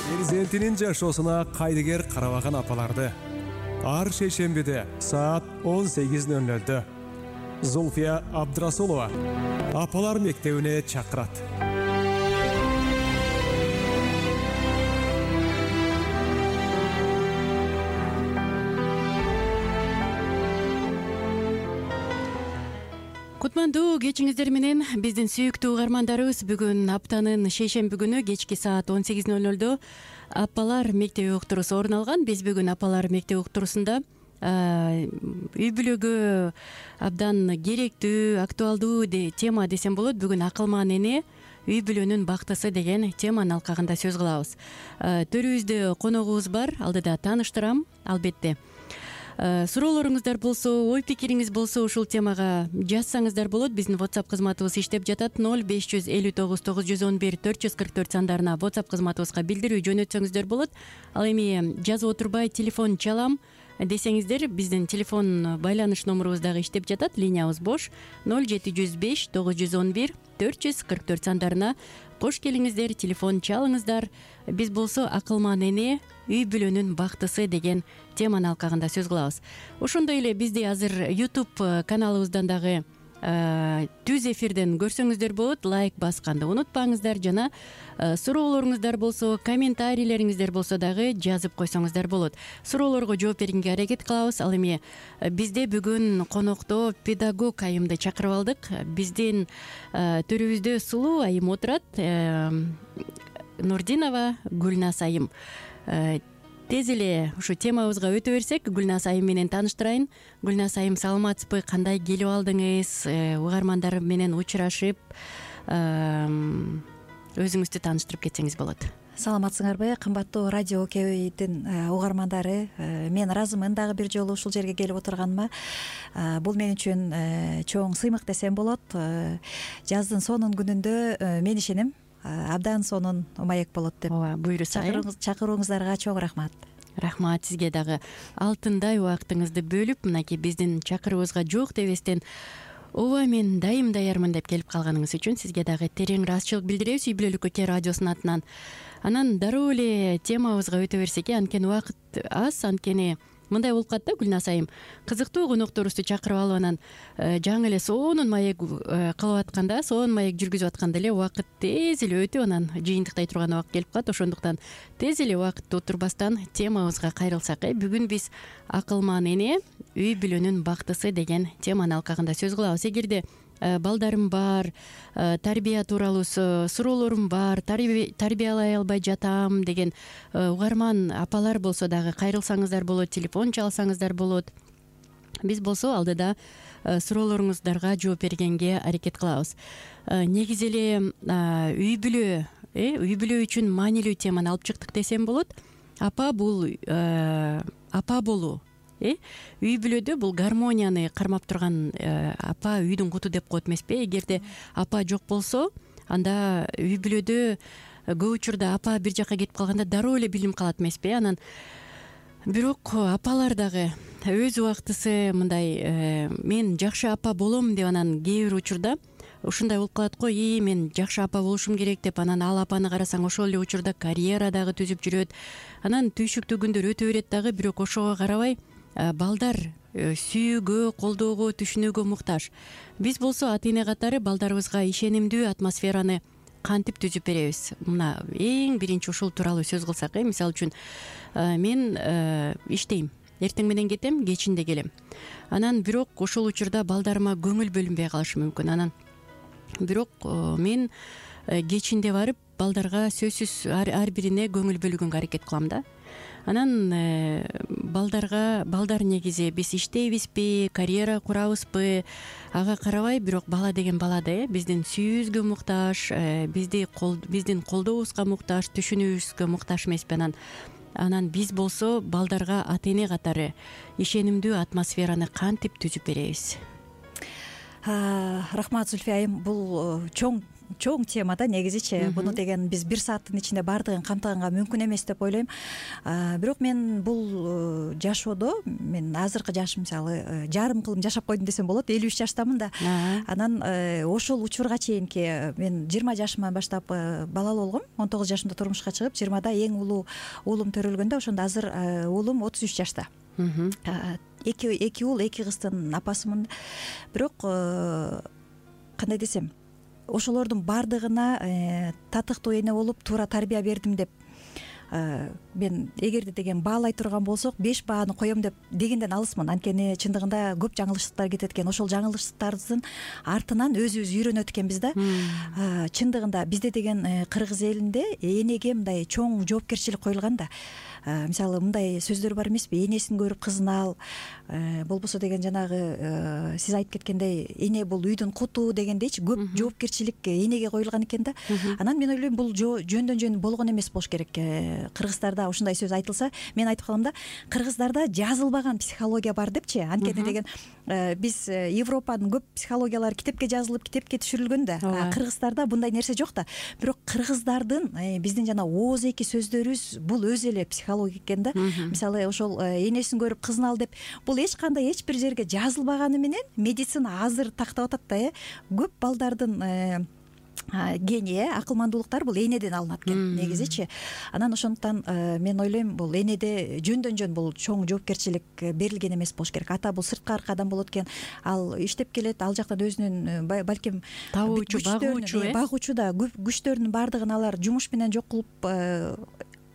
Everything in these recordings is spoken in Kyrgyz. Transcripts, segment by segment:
Перзентинин жашоосуна кайдыгер карабаган апаларды ар шейшембиде саат 18:00 Зульфия Абдрасулова апалар мектебине чакырат. Кутмандуу кечиңиздер менен биздин сүйүктүү угармандарыбыз бүгүн аптанын шейшемби күнү кечки саат 18:00 апалар мектеби уктуруусу орун алган. Биз бүгүн апалар мектеби уктуруусунда үй бүлөгө абдан керектүү, актуалдуу тема десем болот. Бүгүн акылман эне үй бүлөнүн бактысы деген теманын алкагында сөз кылабыз. Төрүбүздө коногубуз бар, алдыда тааныштырам албетте. Суроолоруңуздар болсо, ой пикириңиз болсо ушул темага жазсаңыздар болот. Биздин WhatsApp кызматыбыз иштеп жатат. 0559 911 444 сандарына WhatsApp кызматыбызга билдирүү жөнөтсөңүздөр болот. Ал эми жазып отурбай телефон чалам десеңиздер, биздин телефон байланыш номурубуз дагы иштеп жатат. Линиябыз бош. 0705 911 444 сандарына кош келиңиздер, телефон чалыңыздар. Биз болсо акылман эне үй бүлөнүн бактысы деген теманын алкагында сөз кылабыз. Ошондой эле бизди азыр YouTube каналыбыздан дагы түз эфирден көрсөңүздөр болот. Лайк басканды унутпаңыздар жана суроолоруңуздар болсо, комментарийлериңиздер болсо дагы жазып койсоңуздар болот. Суроолорго жооп бергенге аракет кылабыз. Ал эми бизде бүгүн конокто педагог айымды чакырып алдык. Биздин төрүбүздө сулуу айым отурат. Нурдинова Гүлназ айым. Тез эле ушу темабызга өтө берсек, Гүлназ айым менен тааныштырайын. Гүлназ айым, саламатсызбы? Кандай келип алдыңыз? Угармандар менен учурашып, өзүңүздү тааныштырып кетсеңиз болот. Саламатсыңарбы, кымбаттуу радио КБдин угармандары? Мен ыраазымын дагы бир жолу ушул жерге келип отурганыма. Бул мен үчүн чоң сыймык десем болот. Жаздын сонун күнүндө мен ишенем абдан сонун маек болот деп. Ооба, буйруса. Чакырууңуздарга чоң рахмат. Рахмат сизге дагы. Алтындай убактыңызды бөлүп, мынакей биздин чакыруубузга жок дебестен ооба мен дайым даярмын деп келип калганыңыз үчүн сизге дагы терең ыраазычылык билдиребиз үй бүлөлүк өлкө радиосунун атынан. Анан дароо эле темабызга өтө берсек, анткени убакыт аз, анткени мындай болуп калат да, Гүлназ айым. Кызыктуу конокторубузду чакырып алып анан жаңы эле сонун маек кылып атканда, сонун маек жүргүзүп атканда эле убакыт тез эле өтүп, анан жыйынтыктай турган убакыт келип калат. Ошондуктан тез эле убакытты отурбастан темабызга кайрылсак. Бүгүн биз акылман эне үй бүлөнүн бактысы деген теманын алкагында сөз кылабыз. Эгерде балдарым бар, тарбия тууралуу суроолорум бар, тарбиялай албай жатам деген угарман апалар болсо дагы кайрылсаңыздар болот, телефон чалсаңыздар болот. Биз болсо алдыда суроолоруңуздарга жооп бергенге аракет кылабыз. Негизи эле үй бүлө үчүн маанилүү теманы алып чыктык десем болот. Апа болуу. Үй бүлөдө бул гармонияны кармап турган апа үйдүн куту деп коет эмеспи? Эгерде апа жок болсо, анда үй бүлөдө көп учурда апа бир жакка кетип калганда дароо эле билинип калат эмеспи? Анан бирок апалар дагы өз убактысы мындай мен жакшы апа болом деп анан кээ бир учурда ушундай болуп калат го, мен жакшы апа болушум керек деп анан ал апаны карасаң ошол эле учурда карьера дагы түзүп жүрөт. Анан түйшүктүү күндөр өтө берет дагы, бирок ошого карабай балдар сүйүүгө, колдоого, түшүнүүгө муктаж. Биз болсо ата эне катары балдарыбызга ишенимдүү атмосфераны кантип түзүп беребиз? Мына эң биринчи ушул тууралуу сөз кылсак, мисалы үчүн мен иштейм, эртең менен кетем, кечинде келем. Анан бирок ошол учурда балдарыма көңүл бөлүнбөй калышы мүмкүн. Анан бирок мен кечинде барып балдарга сөзсүз ар бирине көңүл бөлгөнгө аракет кылам да. Анан балдар негизи биз иштейбизби, карьера курабызбы, ага карабай, бирок бала деген бала да, биздин сүйүүбүзгө муктаж, биздин колдообузга муктаж, түшүнүүбүзгө муктаж эмеспи? Анан биз болсо балдарга ата эне катары ишенимдүү атмосфераны кантип түзүп беребиз? Рахмат, Зульфия айым. Бул чоң чоң тема да негизичи. Буну деген биз 1 сааттын ичинде баардыгын камтыганга мүмкүн эмес деп ойлойм. Бирок мен бул жашоодо мен азыркы жашым мисалы жарым кылым жашап койдум десем болот. 53 жаштамын да. Анан ошол учурга чейинки мен 20 жашыман баштап балалуу болгом. 19 жашымда турмушка чыгып, 20да эң улуу уулум төрөлгөндө, ошондо азыр уулум 33 жашта. Эки уул, 2 кыздын апасымын. Бирок кандай десем, ошолордун баардыгына татыктуу эне болуп туура тарбия бердим деп мен эгерде деген баалай турган болсок 5 бааны коем деп дегенден алысмын. Анткени чындыгында көп жаңылыштыктар кетет экен. Ошол жаңылыштыктардын артынан өзүбүз үйрөнөт экенбиз да. Чындыгында бизде деген кыргыз элинде энеге мындай чоң жоопкерчилик коюлган да. Мисалы мындай сөздөр бар эмеспи? Энесин көрүп кызын ал, болбосо деген жанагы сиз айтып кеткендей эне бул үйдүн куту дегендейчи көп жоопкерчилик энеге коюлган экен да. Анан мен ойлойм бул жөндөн жөн болгон эмес болуш керек. Кыргыздарда ушундай сөз айтылса, мен айтып калам да, кыргыздарда жазылбаган психология бар депчи. Анткени деген биз Европанын көп психологиялары китепке жазылып, китепке түшүрүлгөн да. Кыргыздарда бундай нерсе жок да. Бирок кыргыздардын биздин жана ооз-эки сөздөрүбүз бул өз эле психология экен да. Мисалы ошол энесин көрүп кызын ал деп бул эч кандай эч бир жерге жазылбаганы менен медицина азыр тактап атат да. Көп балдардын гений, акылмандуулуктар бул энеден алынат экен негизичи. Анан ошондуктан мен ойлойм бул энеде жөндөн жөн бул чоң жоопкерчилик берилген эмес болуш керек. Ата бул сырткы аркадан болот экен. Ал иштеп келет, ал жактан өзүнүн балким табуучу, багуучу да күчтөрүнүн баардыгын алар жумуш менен жок кылып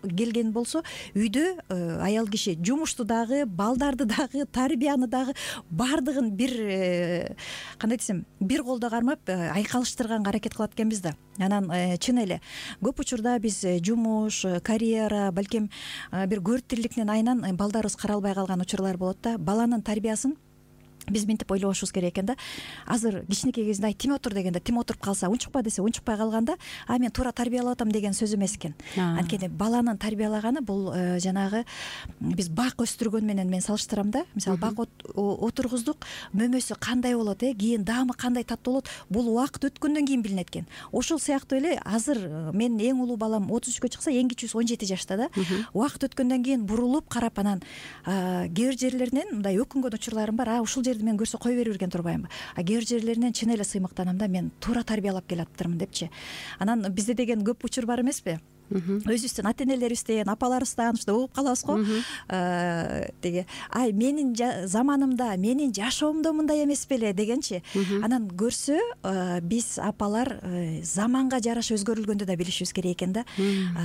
келген болсо, үйдө аял киши жумушту дагы, балдарды дагы, тарбияны дагы баардыгын бир кандай десем, бир колдо кармап айкалыштырганга аракет кылат экенбиз да. Анан чын эле көп учурда биз жумуш, карьера, балким бир көрүктүүлүктүн айынан балдарыбыз каралбай калган учурлар болот да. Баланын тарбиясын биз мынтип ойлобошубуз керек экен да. Азыр кичинекей кезинде тим отур дегенде тим отуруп калса, унчукпа десе унчукпай калганда, мен туура тарбиялап атам деген сөз эмес экен. Анткени баланын тарбиялаганы бул жанагы биз бак өстүргөн менен мен салыштырам да. Мисалы бак отургуздук, мөмөсү кандай болот, кийин даамы кандай таттуу болот, бул убакыт өткөндөн кийин билинет экен. Ошол сыяктуу эле азыр мен эң улуу балам 33кө чыкса, эң кичүүсү 17 жашта да. Убакыт өткөндөн кийин бурулуп карап, анан кээ бир жерлеринен мындай өкүнгөн учурларым бар. Ушул мен көрсө кой берип жүрген турбаймынбы? Кээ бир жерлеринен чын эле сыймыктанам да, мен туура тарбиялап келатырмын депчи. Анан бизде деген көп учур бар эмеспи? Өзүбүздүн ата энелерибизден, апаларыбыздан ушундай угуп калабыз го. Деге менин заманымда, менин жашоомдо мындай эмес беле дегенчи. Анан көрсө биз апалар заманга жараша өзгөрүлгөндү да билишибиз керек экен да.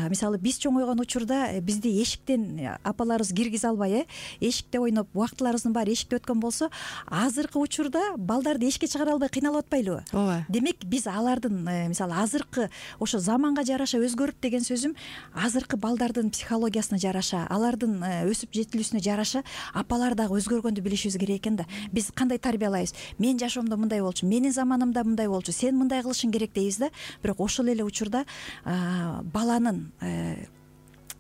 Мисалы биз чоңойгон учурда бизди эшиктен апаларыбыз киргизе албай, эшикте ойноп убактыларыбыздын баары эшикте өткөн болсо, азыркы учурда балдарды эшикке чыгара албай кыйналып атпайлыбы? Ооба. Демек биз алардын мисалы азыркы ошо заманга жараша өзгөрүп деген сөзүм азыркы балдардын психологиясына жараша, алардын өсүп жетилүүсүнө жараша апалар дагы өзгөргөндү билишибиз керек экен да. Биз кандай тарбиялайбыз? Мен жашоомдо мындай болчу, менин заманымда мындай болчу, сен мындай кылышың керек дейбиз да. Бирок ошол эле учурда баланын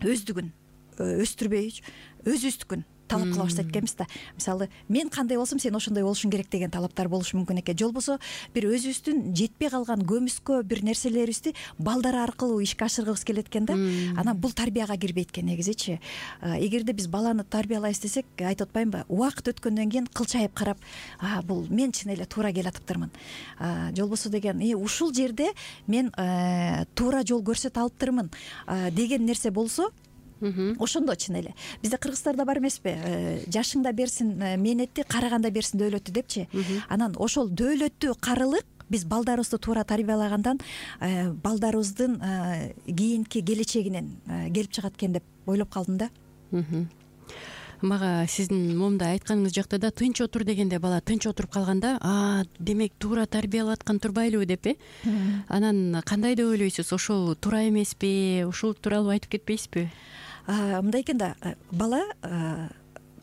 өздүгүн өстүрбөй, өзүбүздүкүн талап кыла баштайт экенбиз да. Мисалы, мен кандай болсом, сен ошондой болушуң керек деген талаптар болушу мүмкүн экен. Жолбосо бир өзүбүздүн жетпей калган көмүскө бир нерселерибизди балдар аркылуу ишке ашыргыбыз келет экен да. Анан бул тарбияга кирбейт экен негизичи. Эгерде биз баланы тарбиялайбыз десек, айтып атпаймынбы? Убакыт өткөндөн кийин кылчайып карап, бул мен чын эле туура келатыптырмын. Жолбосо деген, ушул жерде мен туура жол көрсөтө алыптырмын деген нерсе болсо, ошондо чын эле бизде кыргыздарда бар эмеспи? Жашыңда берсин мээнетти, караганда берсин дөөлөттү депчи. Анан ошол дөөлөттүү карылык биз балдарыбызды туура тарбиялагандан балдарыбыздын кийинки келечегинен келип чыгат экен деп ойлоп калдым да. Мага сиздин момундай айтканыңыз жакта да тынч отур дегенде бала тынч отуруп калганда, демек туура тарбиялап аткан турбайлыбы деп Анан кандай деп ойлойсуз? Ошол туура эмеспи? Ушул тууралуу айтып кетпейсизби? Мындай экен да, бала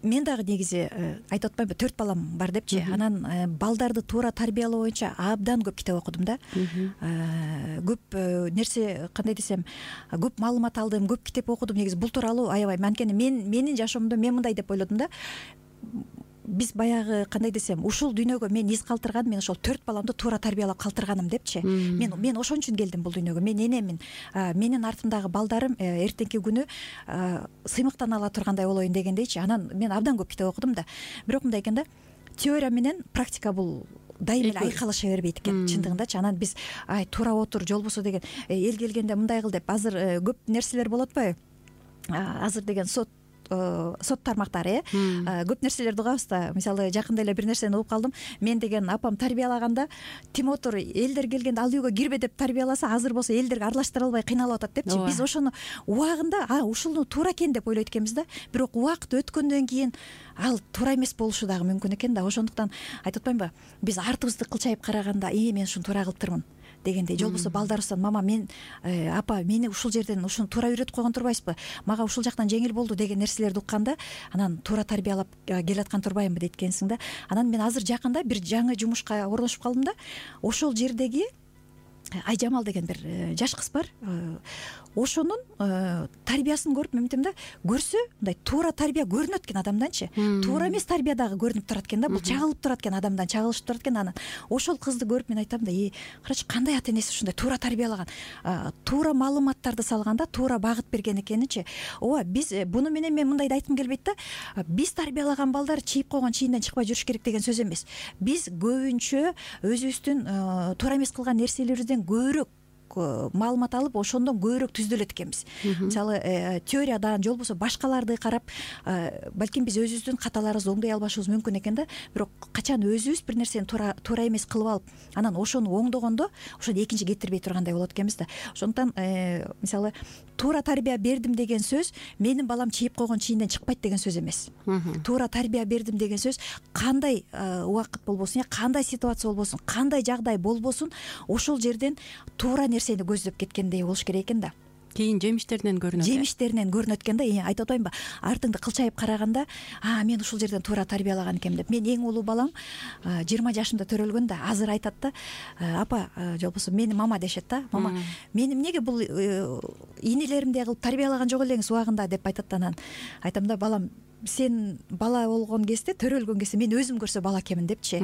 мен дагы негизи айтып атпаймынбы, 4 балам бар депчи. Анан балдарды туура тарбиялоо боюнча абдан көп китеп окудум да. Көп нерсе, кандай десем, көп маалымат алдым, көп китеп окудум. Негизи бул тууралуу аябай. Анткени менин жашоомдо мен мындай деп ойлодум да. биз баягы кандай десем, ушул дүйнөгө мен из калтырган, мен ошол 4 баламды туура тарбиялап калтырганым депчи. Мен ошон үчүн келдим бул дүйнөгө. Мен энемин, менин артымдагы балдарым эртеңки күнү сыймыктана ала тургандай болоюн дегендейчи. Анан мен абдан көп китеп окудум да. Бирок мындай экен да, теория менен практика бул дайым эле айкалыша бербейт экен чындыгындачы. Анан биз туура отур, жолбосо деген эл келгенде мындай кыл деп, азыр көп нерселер болот атпайбы? Азыр деген сот тармактары көп нерселерди угабыз да. Мисалы жакында эле бир нерсени угуп калдым. Мен деген апам тарбиялаганда тим отур, элдер келгенде ал үйгө кирбе деп тарбияласа, азыр болсо элдерге аралаштыра албай кыйналып атат депчи. Биз ошону убагында ушуну туура экен деп ойлойт экенбиз да. Бирок убакыт өткөндөн кийин ал туура эмес болушу дагы мүмкүн экен да. Ошондуктан айтып атпаймынбы, биз артыбызды кылчайып караганда мен ушуну туура кылыптырмын дегендей. Жолбосо балдарыбыздан мама, мен апа мени ушул жерден ушуну туура үйрөтүп койгон турбайсызбы? Мага ушул жактан жеңил болду деген нерселерди укканда, анан туура тарбиялап келаткан турбаймынбы дейт экенсиң да. Анан мен азыр жакында бир жаңы жумушка орношуп калдым да. Ошол жердеги Айжамал деген бир жаш кыз бар. Ошонун тарбиясын көрүп мен айтам да, көрсө мындай туура тарбия көрүнөт экен адамданчы. Туура эмес тарбия дагы көрүнүп турат экен да. Бул чагылып турат экен, адамдан чагылышып турат экен. Анан ошол кызды көрүп мен айтам да, карачы кандай ата энеси ушундай туура тарбиялаган, туура маалыматтарды салганда туура багыт берген экеничи. Ооба, биз буну менен мен мындайды айткым келбейт да. Биз тарбиялаган балдар чийип койгон чийинден чыкпай жүрүш керек деген сөз эмес. Биз көбүнчө өзүбүздүн туура эмес кылган нерселерибизден көбүрөөк маалымат алып, ошондон көбүрөөк түздөлөт экенбиз. Мисалы теориядан, жолбосо башкаларды карап, балким биз өзүбүздүн каталарыбызды оңдой албашыбыз мүмкүн экен да. Бирок качан өзүбүз бир нерсени туура эмес кылып алып, анан ошону оңдогондо ошону экинчи кетирбей тургандай болот экенбиз да. Ошондуктан мисалы туура тарбия бердим деген сөз менин балам чийип койгон чийинден чыкпайт деген сөз эмес. Туура тарбия бердим деген сөз кандай убакыт болбосун, кандай ситуация болбосун, кандай жагдай болбосун, ошол жерден туура нерсени көздөп кеткендей болуш керек экен да. Кийин жемиштеринен көрүнөт экен да. Айтып атпаймынбы, артыңды кылчайып караганда, мен ушул жерден туура тарбиялаган экенмин деп. Мен эң улуу балам 20 жашымда төрөлгөн да, азыр айтат да, апа, жолбосо мени мама дешет да. Мама, мени эмнеге бул инилеримдей кылып тарбиялаган жок элеңиз убагында деп айтат да. Анан айтам да, балам, сен бала болгон кезде, төрөлгөн кезде мен өзүм көрсө бала экенмин депчи.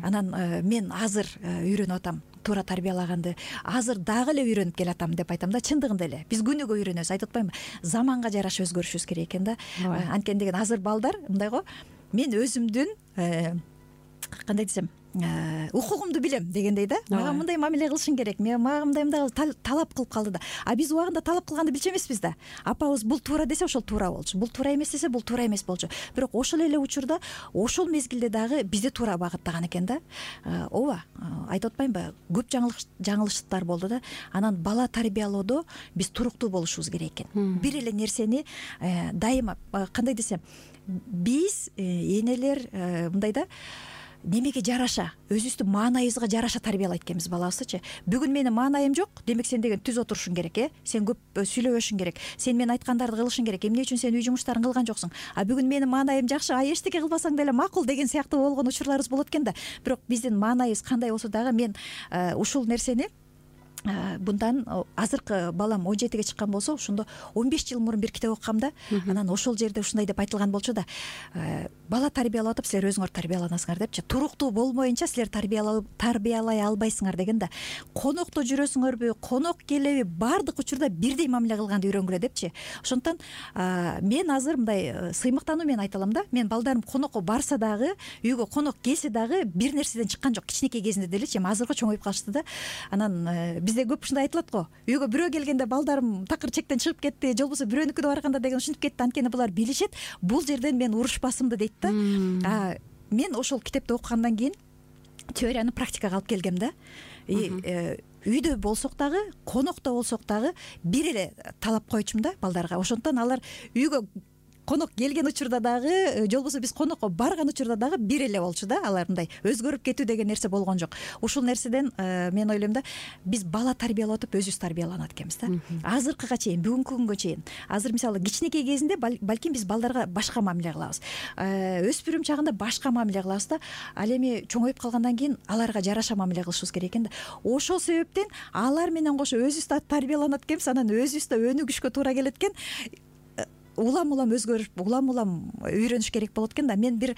Анан мен азыр үйрөнүп атам туура тарбиялаганды, азыр дагы эле үйрөнүп келатам деп айтам да. Чындыгында эле биз күнүгө үйрөнөбүз. Айтып атпаймынбы, заманга жараша өзгөрүшүбүз керек экен да. Анткени деген азыр балдар мындай го, мен өзүмдүн кандай десем, укугумду билем дегендей да. Мага мындай мамиле кылышың керек, мага мындай талап кылып калды да. Биз убагында талап кылганды билчү эмеспиз да. Апабыз бул туура десе ошол туура болчу, бул туура эмес десе бул туура эмес болчу. Бирок ошол эле учурда, ошол мезгилде дагы бизди туура багыттаган экен да. Ооба, айтып атпаймынбы, көп жаңылыштыктар болду да. Анан бала тарбиялоодо биз туруктуу болушубуз керек экен. Бир эле нерсени дайыма, кандай десем, биз энелер мындай да, немеге жараша, өзүбүздүн маанайыбызга жараша тарбиялайт экенбиз балабызды. Бүгүн менин маанайым жок, демек сен деген түз отурушуң керек, сен көп сүйлөбөшүң керек, сен мен айткандарды кылышың керек, эмне үчүн сен үй жумуштарын кылган жоксуң, бүгүн менин маанайым жакшы, эчтеке кылбасаң деле макул деген сыяктуу болгон учурларыбыз болот экен да. Бирок биздин маанайыбыз кандай болсо дагы, мен ушул нерсени bundan азыркы балам 17-ге чыккан болсо, ошондо 15 жыл мурун бир китеп окугам да. Анан ошол жерде ушундай деп айтылган болчу да. Бала тарбиялап атып, силер өзүңөр тарбияланасыңар депчи. Туруктуу болмоюнча силер тарбиялай албайсыңар дегенде, конокто жүрөсүңөрбү, конок келеби, баардык учурда бирдей мамиле кылганды үйрөнгүлө депчи. Ошондуктан мен азыр мындай сыймыктануу менен айта алам да. Мен балдарым конокко барса дагы, үйгө конок келсе дагы бир нерседен чыккан жок. Кичинекей кезинде делечи, азыркы чоңоюп калышты да. Анан бизде көп ушундай айтылат го. Үйгө бирөө келгенде балдарым такыр чектен чыгып кетти, же болбосо бирөөнүкүнө барганда деген ушинтип кетти. Анткени булар билишет, бул жерден мен урушпасымды дейт да. Мен ошол китепти окугандан кийин теорияны практикага алып келгем да. Үйдө болсок дагы, конокто болсок дагы бир эле талап койчумун да балдарга. Ошондуктан алар үйгө конок келген учурда дагы, же болбосо биз конокко барган учурда дагы бир эле болчу да. Алар мындай өзгөрүп кетүү деген нерсе болгон жок. Ушул нерседен мен ойлойм да, биз бала тарбиялап атып өзүбүз тарбияланат экенбиз да. Азыркыга чейин, бүгүнкү күнгө чейин. Азыр мисалы кичинекей кезинде балким биз балдарга башка мамиле кылабыз. Өспүрүм чагында башка мамиле кылабыз да. Ал эми чоңоюп калгандан кийин аларга жараша мамиле кылышыбыз керек экен да. Ошол себептен алар менен кошо өзүбүз да тарбияланат экенбиз, анан өзүбүз да өнүгүшкө туура келет экен. Улам өзгөрүп, улам үйрөнүш керек болот экен да. Мен бир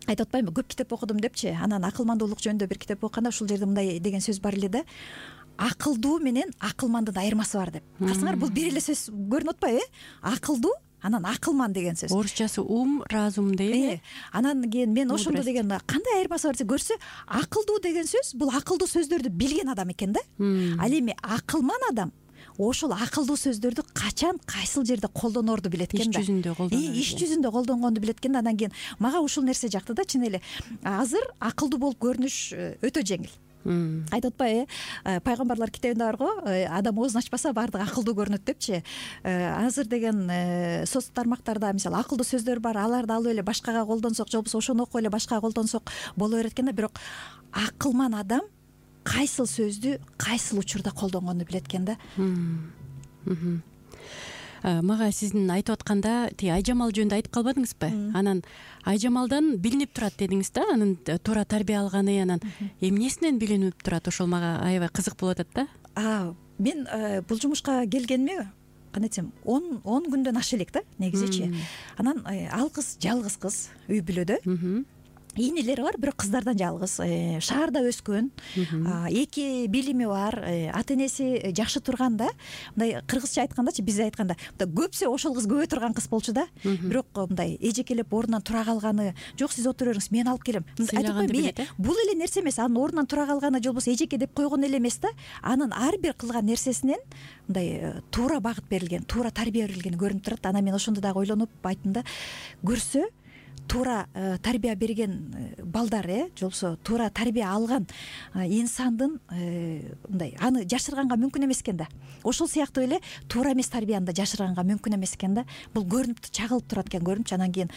айтып атпаймынбы, көп китеп окудум депчи, анан акылмандуулук жөнүндө бир китеп окуганда ушул жерде мындай деген сөз бар эле да: акылдуу менен акылмандын айырмасы бар деп. Карасаңар, бул бир эле сөз көрүнүп атпайбы? Акылдуу анан акылман деген сөз. Орусчасы разум дейби. Анан кийин мен ошондо деген кандай айырмасы бар десе, көрсө, акылдуу деген сөз бул акылдуу сөздөрдү билген адам экен да. Ал эми акылман адам ошол акылдуу сөздөрдү качан кайсыл жерде колдонорду билет экен да. Иш жүзүндө колдонгонду билет экен да. Анан кийин мага ушул нерсе жакты да. Чын эле азыр акылдуу болуп көрүнүш өтө жеңил. Айтып атпайбы, пайгамбарлар китебинде барго, адам оозун ачпаса баардыгы акылдуу көрүнөт депчи. Азыр деген соц тармактарда мисалы акылдуу сөздөр бар, аларды алып эле башкага колдонсок, же болбосо ошону окуп эле башкага колдонсок боло берет экен да. Бирок акылман адам кайсыл сөздү кайсыл учурда колдонгонду билет экен да. Мага сиздин айтып атканда тиги Айжамал жөнүндө айтып калбадыңызбы? Анан Айжамалдан билинип турат дедиңиз да, анын туура тарбия алганы, анан эмнесинен билинип турат? Ошол мага аябай кызык болуп атат да. Мен бул жумушка келгениме кандай десем 10 күндөн аша элек да, негизичи. Анан ал кыз жалгыз кыз, үй бүлөдө. Ийнелери бар, бирок кыздардан жалгыз, шаарда өскөн, 2 билими бар, ата энеси жакшы турган да. Мындай кыргызча айткандачы, биз айтканда көпсө ошол кыз көбөй турган кыз болчу да. Бирок мындай эжекелеп ордунан тура калганы, жок сиз отура бериңиз, мен алып келем. Бул эле нерсе эмес, анын ордунан тура калганы же болбосо эжеке деп койгон эле эмес да. Анын ар бир кылган нерсесинен мындай туура багыт берилген, туура тарбия берилгени көрүнүп турат. Анан мен ошондо дагы ойлонуп айттым да, көрсө туура тарбия берген балдар, же болбосо туура тарбия алган инсандын мындай аны жашырганга мүмкүн эмес экен да. Ошол сыяктуу эле туура эмес тарбияны да жашырганга мүмкүн эмес экен да. Бул көрүнүп чагылып турат экен, көрүнүпчү. Анан кийин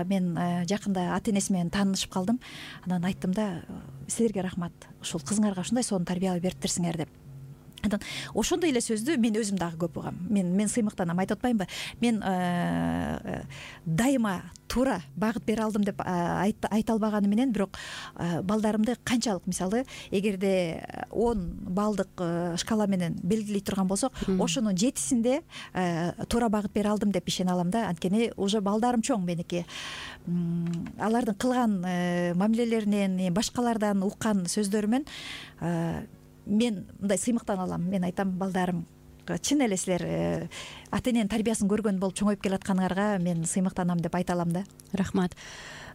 мен жакында ата энеси менен таанышып калдым. Анан айттым да, силерге рахмат, ушул кызыңарга ушундай сонун тарбия бериптирсиңер деп. Анан ошондой эле сөздү мен өзүм дагы көп угам. Мен сыймыктанам, айтып атпаймынбы? Мен дайыма туура багыт бере алдым деп айта албаганы менен, бирок балдарымды канчалык, мисалы, эгерде 10 балдык шкала менен белгилей турган болсок, ошонун 7синде туура багыт бере алдым деп ишене алам да. Анткени уже балдарым чоң меники. Алардын кылган мамилелеринен, башкалардан уккан сөздөрүмөн мен мындай сыймыктана алам. Мен айтам, балдарым, чын эле силер ата эненин тарбиясын көргөн болуп чоңоюп келатканыңарга мен сыймыктанам деп айта алам да. Рахмат.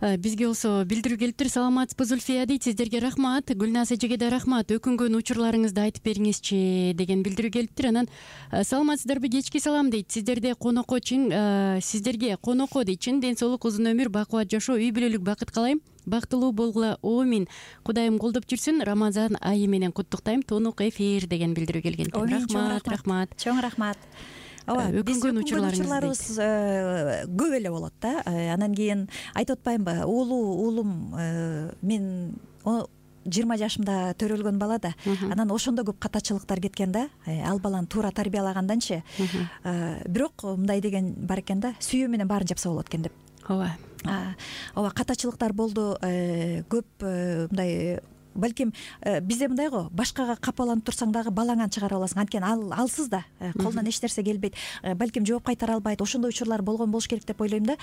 Бизге болсо билдирүү келиптир. Саламатсызбы, Зульфия дейт. Сиздерге рахмат. Гүлназ эжеге да рахмат. Өкүнгөн учурларыңызды айтып бериңизчи деген билдирүү келиптир. Анан саламатсыздарбы, кечки салам дейт. Сиздерге конокко дейт. Чын ден соолук, узун өмүр, бакубат жашоо, үй бүлөлүк бакыт каалайм. Бактылуу болгула, амин. Кудайым колдоп жүрсүн. Рамазан айы менен куттуктайм. Тонук эфир деген билдирүү келген экен. Рахмат. Чоң рахмат. Өкүнгөн учурларыбыз көп эле болот да. Анан кийин айтып атпаймынбы, уулум мен 20 жашымда төрөлгөн бала да. Анан ошондо көп катачылыктар кеткен да. Ал баланы туура тарбиялаганданчы. Бирок мындай деген бар экен да, сүйүү менен баарын жапса болот экен деп. Ооба, катачылыктар болду, көп мындай. Балким бизде мындай го, башкага капаланып турсаң дагы балаңан чыгара аласың. Анткени алсыз да, колунан эч нерсе келбейт. Балким жооп кайтара албайт. Ошондой учурлар болгон болуш керек деп ойлойм да.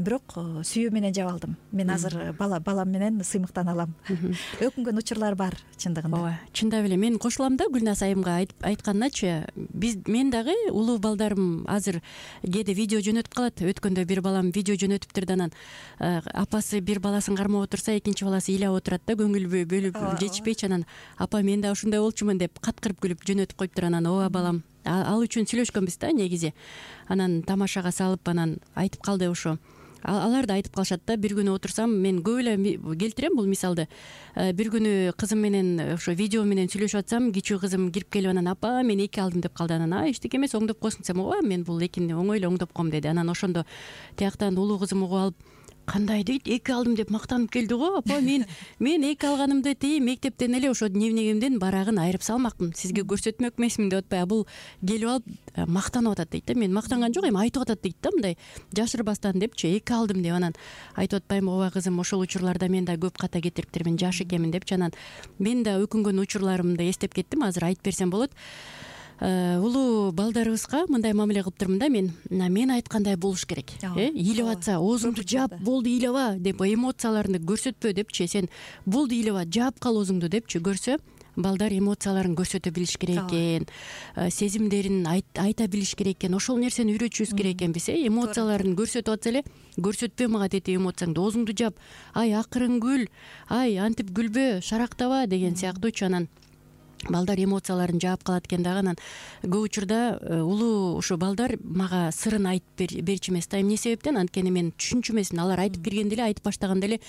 Бирок сүйүү менен жаба алдым. Мен азыр балам менен сыймыктана алам. Өкүнгөн учурлар бар чындыгында. Ооба, чындап эле мен кошулам да Гүлназ айымга айтканначы. Мен дагы улуу балдарым азыр кээде видео жөнөтүп калат. Өткөндө бир балам видео жөнөтүптүр да, анан апасы бир баласын кармап отурса, экинчи баласы ыйлап отурат да, көңүл бөлүп жетишпейчи. Анан апа, мен да ушундай болчумун деп каткырып күлүп жөнөтүп коюптур. Анан ооба балам, ал үчүн сүйлөшкөнбүз да негизи. Анан тамашага салып, анан айтып калды ошо. Алар да айтып калышат да. Бир күнү отурсам, мен көп эле келтирем бул мисалды. Бир күнү кызым менен ошо видео менен сүйлөшүп атсам, кичүү кызым кирип келип, анан апа, мен 2 алдым деп калды. Анан эчтеке эмес, оңдоп койсуң десем, ооба, мен бул 2-ни оңой эле оңдоп койм деди. Анан ошондо тияктан улуу кызым угуп алып, кандай дейт, 2 алдым деп мактанып келди го. Апа, мен 2 алганымды мектептен эле ошо дневнигимдин барагын айырып салмакмын, сизге көрсөтмөк эмесмин деп атпай, бул келип алып мактанып атат дейт да. Мен мактанган жок, эми айтып атат дейт да, мындай жашырбастан депчи, 2 алдым деп. Анан айтып атпаймынбы, ооба кызым, ошол учурларда мен да көп ката кетириптирмин, жаш экенмин депчи. Анан мен да өкүнгөн учурларымды эстеп кеттим, азыр айтып берсем болот. улуу балдарыбызга мындай мамиле кылыптырмын да мен айткандай болуш керек. Ыйлап атса оозуңду жаап, болду ыйлаба деп, эмоцияларыңды көрсөтпө депчи, сен болду ыйлаба, жаап кал оозуңду депчи көрсө, балдар эмоцияларын көрсөтө билиш керек экен, сезимдерин айта билиш керек экен. Ошол нерсени үйрөтүшүбүз керек экенбиз. Эмоцияларын көрсөтүп атса эле, көрсөтпө мага дети эмоцияңды, оозуңду жаап, ай акырын күл, ай антип күлбө, шарактаба деген сыяктуучу. Анан балдар эмоцияларын жаап калат экен дагы. Анан көп учурда улуу ушу балдар мага сырын айтып берчү эмес да. Эмне себептен? Анткени мен түшүнчү эмесмин. Алар айтып киргенде эле, айтып баштаганда эле,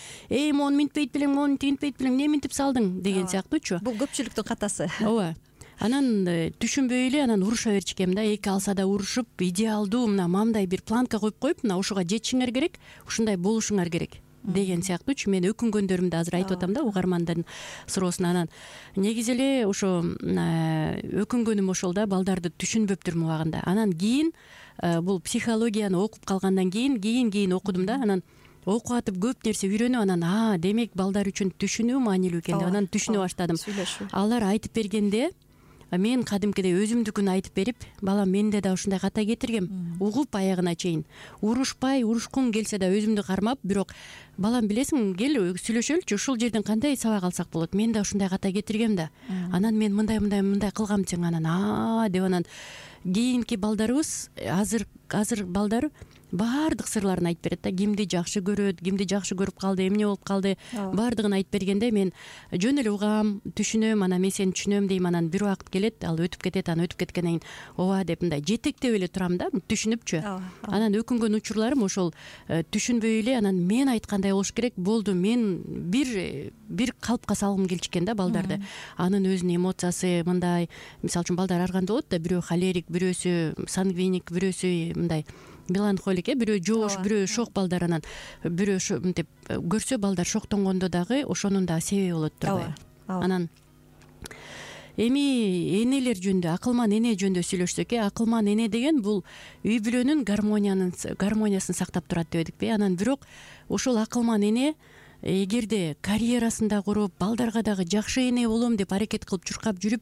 мону минтпейт белең, мону тигинтпейт белең, эмне минтип салдың деген сыяктуучу. Бул көпчүлүктүн катасы. Ооба. Анан түшүнбөй эле анан уруша берчү экенмин да. Эки алса да урушуп, идеалдуу мына мындай бир планка коюп, мына ушуга жетишиңер керек, ушундай болушуңар керек деген сыяктуучу. Мен өкүнгөндөрүмдү азыр айтып атам да угармандын суроосуна. Анан негизи эле ошо өкүнгөнүм ошол да, балдарды түшүнбөптүрмүн убагында. Анан кийин бул психологияны окуп калгандан кийин окудум да. Анан окуп атып көп нерсе үйрөнүп, анан демек балдар үчүн түшүнүү маанилүү экен деп анан түшүнө баштадым. Алар айтып бергенде мен кадимкидей өзүмдүкүн айтып берип, балам менде да ушундай ката кетиргем, угуп аягына чейин, урушпай, урушкуң келсе да өзүмдү кармап, бирок балам билесиң, кел сүйлөшөлүчү, ушул жерден кандай сабак алсак болот, мен да ушундай ката кетиргем да, анан мен мындай кылгам десең, анан деп анан кийинки балдарыбыз, азыр балдар баардык сырларын айтып берет да. Кимди жакшы көрөт, кимди жакшы көрүп калды, эмне болуп калды, баардыгын айтып бергенде мен жөн эле угам, түшүнөм, анан мен сени түшүнөм дейм. Анан бир убакыт келет, ал өтүп кетет, анан өтүп кеткенден кийин ооба деп мындай жетектеп эле турам да, түшүнүпчү. Анан өкүнгөн учурларым ошол түшүнбөй эле, анан мен айткандай болуш керек, болду, мен бир калпка салгым келчү экен да балдарды. Анын өзүнүн эмоциясы мындай, мисалы үчүн балдар ар кандай болот да, бирөө холерик, бирөөсү сангвиник, бирөөсү мындай меланхолик, бирөө жош, бирөө шок балдар. Анан бирөө мынтип көрсө, балдар шоктонгондо дагы ошонун да себеби болот турбайбы. Анан эми энелер жөнүндө, акылман эне жөнүндө сүйлөшсөк, акылман эне деген бул үй бүлөнүн гармониясын сактап турат дебедикпи? Анан бирок ошол акылман эне эгерде карьерасын да куруп, балдарга дагы жакшы эне болом деп аракет кылып чуркап жүрүп,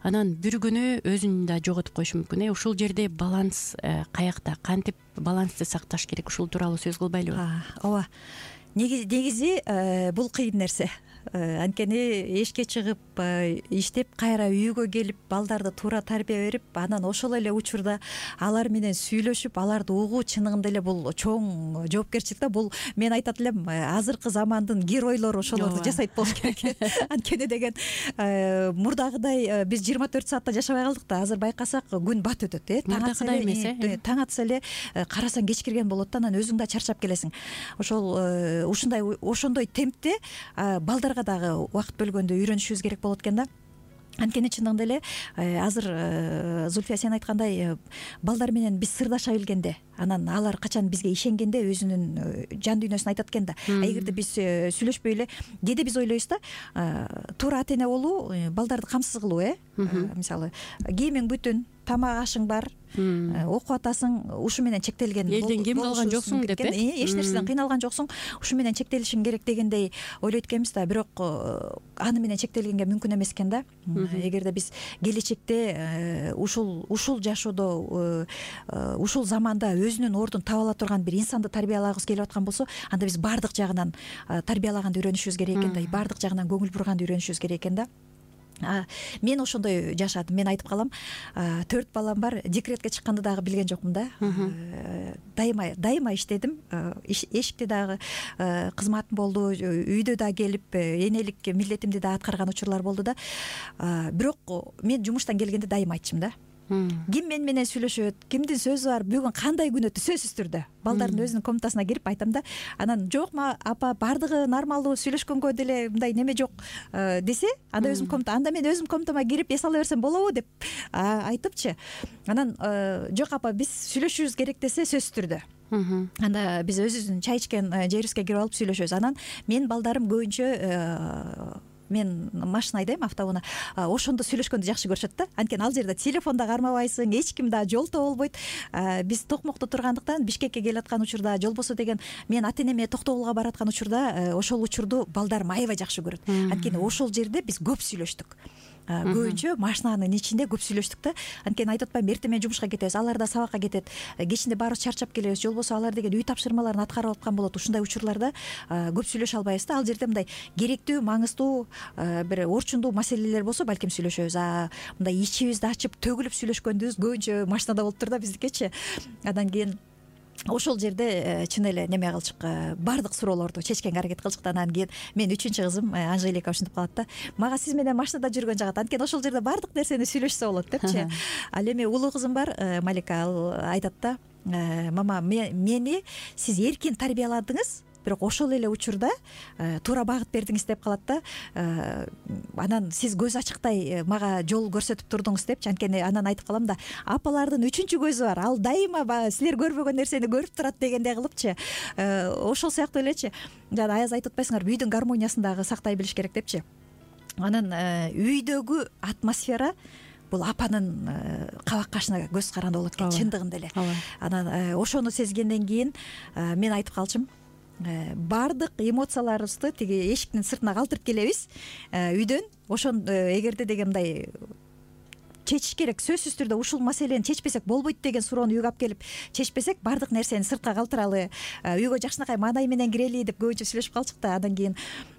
анан бир күнү өзүн да жоготуп коюшу мүмкүн. Ушул жерде баланс каякта, кантип балансты сакташ керек, ушул тууралуу сөз кылбайлыбы? Ооба. Негизи бул кыйын нерсе. Анткени эшикке чыгып иштеп, кайра үйгө келип, балдарды туура тарбия берип, анан ошол эле учурда алар менен сүйлөшүп, аларды угуу чыныгында эле бул чоң жоопкерчилик да. Бул мен айтат элем, азыркы замандын геройлору ошолорду жасайт болуш керек. Анткени деген мурдагыдай биз 24 саатта жашабай калдык да. Азыр байкасак күн бат өтөт, мурдакыдай эмес. Таң атса эле карасаң кеч кирген болот да, анан өзүң да чарчап келесиң. Ошондой темпте балдарга дагы убакыт бөлгөндө үйрөнүшүбүз керек болот экен да. Анткени чындыгында эле азыр Зульфия сен айткандай, балдар менен биз сырдаша билгенде, анан алар качан бизге ишенгенде өзүнүн жан дүйнөсүн айтат экен да. Эгерде биз сүйлөшпөй эле, кээде биз ойлойбуз да, туура ата эне болуу балдарды камсыз кылуу, мисалы кийимиң бүтүн, тамак ашың бар, окуп атасың, ушу менен чектелген. Элден кем калган жоксуң деп, эч нерседен кыйналган жоксуң, ушу менен чектелишиң керек дегендей ойлойт экенбиз да. Бирок аны менен чектелгенге мүмкүн эмес экен да. Эгерде биз келечекте ушул жашоодо, ушул заманда өзүнүн ордун таба ала турган бир инсанды тарбиялагыбыз келип аткан болсо, анда биз баардык жагынан тарбиялаганды үйрөнүшүбүз керек экен да, баардык жагынан көңүл бурганды үйрөнүшүбүз керек экен да. Мен ошондой жашадым. Мен айтып калам, 4 балам бар, декретке чыкканды дагы билген жокмун да. Дайыма иштедим, эшикте дагы кызматым болду, үйдө да келип энелик милдетимди да аткарган учурлар болду да. Бирок мен жумуштан келгенде дайыма айтчумун да. Ким мен менен сүйлөшөт, кимдин сөзү бар, бүгүн кандай күн өттү, сөзсүз түрдө балдардын өзүнүн комнатасына кирип айтам да. Анан жокма апа, баардыгы нормалдуу, сүйлөшкөнгө деле мындай неме жок десе, анда өзүм комната, анда мен өзүм комнатама кирип эс ала берсем болобу деп айтыпчы. Анан жок апа, биз сүйлөшүшүбүз керек десе, сөзсүз түрдө. Анда биз өзүбүздүн чай ичкен жерибизге кирип алып сүйлөшөбүз. Анан мен балдарым көбүнчө, мен машина айдайм, автоунаа, ошондо сүйлөшкөндү жакшы көрүшөт да. Анткени ал жерде телефон да кармабайсың, эч ким да жолтоо болбойт. Биз Токмокто тургандыктан Бишкекке келаткан учурда, жолбосо деген мен ата энеме Токтогулга бараткан учурда ошол учурду балдарым аябай жакшы көрөт. Анткени ошол жерде биз көп сүйлөштүк. көбүнчө машинанын ичинде көп сүйлөштүк да. Анткени айтып атпаймынбы, эртең жумушка кетебиз, алар да сабакка кетет, кечинде баарыбыз чарчап келебиз, же болбосо алар деген үй тапшырмаларын аткарып аткан болот. Ушундай учурларда көп сүйлөшө албайбыз да. Ал жерде мындай керектүү, маңыздуу бир орчундуу маселелер болсо балким сүйлөшөбүз. Мындай ичибизди ачып төгүлүп сүйлөшкөнүбүз көбүнчө машинада болуп тур да биздикечи. Андан кийин ошол жерде чын эле неме кылчык, баардык суроолорду чечкенге аракет кылчык. Анан кийин мен үчүнчү кызым Анжелика ушинтип калат да: мага сиз менен машинада жүргөн жагат, анткени ошол жерде баардык нерсени сүйлөшсө болот депчи. Ал эми улуу кызым бар, Малика, ал айтат да: мама, мени сиз эркин тарбияладыңыз, бирок ошол эле учурда туура багыт бердиңиз деп калат да. Анан сиз көз ачыктай мага жол көрсөтүп турдуңуз депчи. Анткени анан айтып калам да: апалардын үчүнчү көзү бар, ал дайыма силер көрбөгөн нерсени көрүп турат дегендей кылыпчы. Ошол сыяктуу элечи. Жана аяз айтып атпайсыңарбы, үйдүн гармониясын дагы сактай билиш керек депчи. Анан үйдөгү атмосфера бул апанын кабак кашына көз каранды болот экен, чындыгында эле. Анан ошону сезгенден кийин мен айтып калчумун: баардык эмоцияларыбызды тиги эшиктин сыртына калтырып келебиз үйдөн. Ошон эгерде деген мындай чечиш керек, сөзсүз түрдө ушул маселени чечпесек болбойт деген суроону үйгө алып келип чечпесек, баардык нерсени сыртка калтыралы, үйгө жакшынакай маанай менен кирели деп көбүнчө сүйлөшүп калчык да. Андан кийин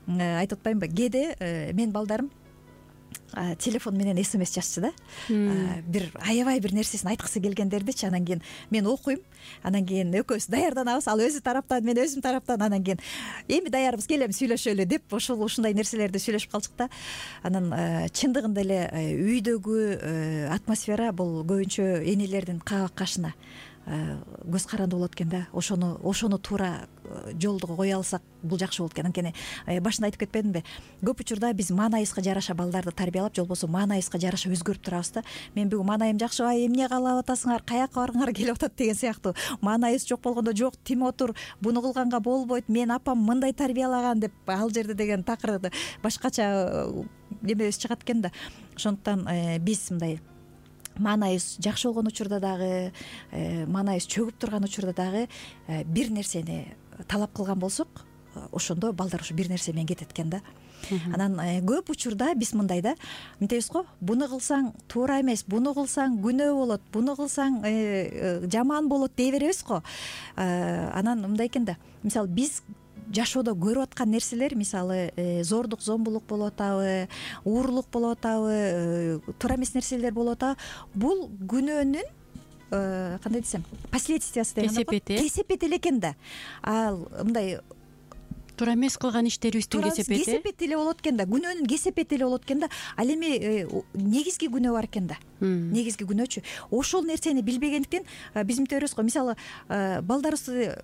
айтып атпаймынбы, кээде менин балдарым телефон менен СМС жазчу да. Бир аябай бир нерсесин айткысы келгендердичи. Анан кийин мен окуйм, анан кийин экөөбүз даярданабыз, ал өзү тараптан, мен өзүм тараптан. Анан кийин эми даярбыз, келем сүйлөшөлү деп ушундай нерселерди сүйлөшүп калчык да. Анан чындыгында эле үйдөгү атмосфера бул көбүнчө энелердин кабак кашына көз каранды болот экен да. Ошону туура жолдо кое алсак бул жакшы болот экен. Анткени башында айтып кетпедимби, көп учурда биз маанайыбызга жараша балдарды тарбиялап, же болбосо маанайыбызга жараша өзгөрүп турабыз да. Мен бүгүн маанайым жакшыбай, эмне каалап атасыңар, каяка баргыңар келип атат деген сыяктуу. Маанайыбыз жок болгондо: жок, тим отур, буну кылганга болбойт, мен апам мындай тарбиялаган деп ал жерде деген такыр башкача немебиз чыгат экен да. Ошондуктан биз мындай маанайыбыз жакшы болгон учурда дагы, маанайыбыз чөгүп турган учурда дагы бир нерсени талап кылган болсок, ошондо балдар ушу бир нерсе менен кетет экен да. Анан көп учурда биз мындай да, мынтебиз го: буну кылсаң туура эмес, буну кылсаң күнөө болот, буну кылсаң жаман болот дей беребиз го. Анан мындай экен да, мисалы биз жашоодо көрүп аткан нерселер, мисалы зордук, зомбулук болуп атабы, уурлук болуп атабы, туура эмес нерселер болуп атабы, бул күнөөнүн кандай десем, последствиясы деген кесепети эле экен да. Ал мындай туура эмес кылган иштерибиздин кесепети эле болот экен да, күнөөнүн кесепети эле болот экен да. Ал эми негизги күнөө бар экен да. Негизги күнөөчү ошол нерсени билбегендиктен биз мынтебиз го. Мисалы балдарыбызды,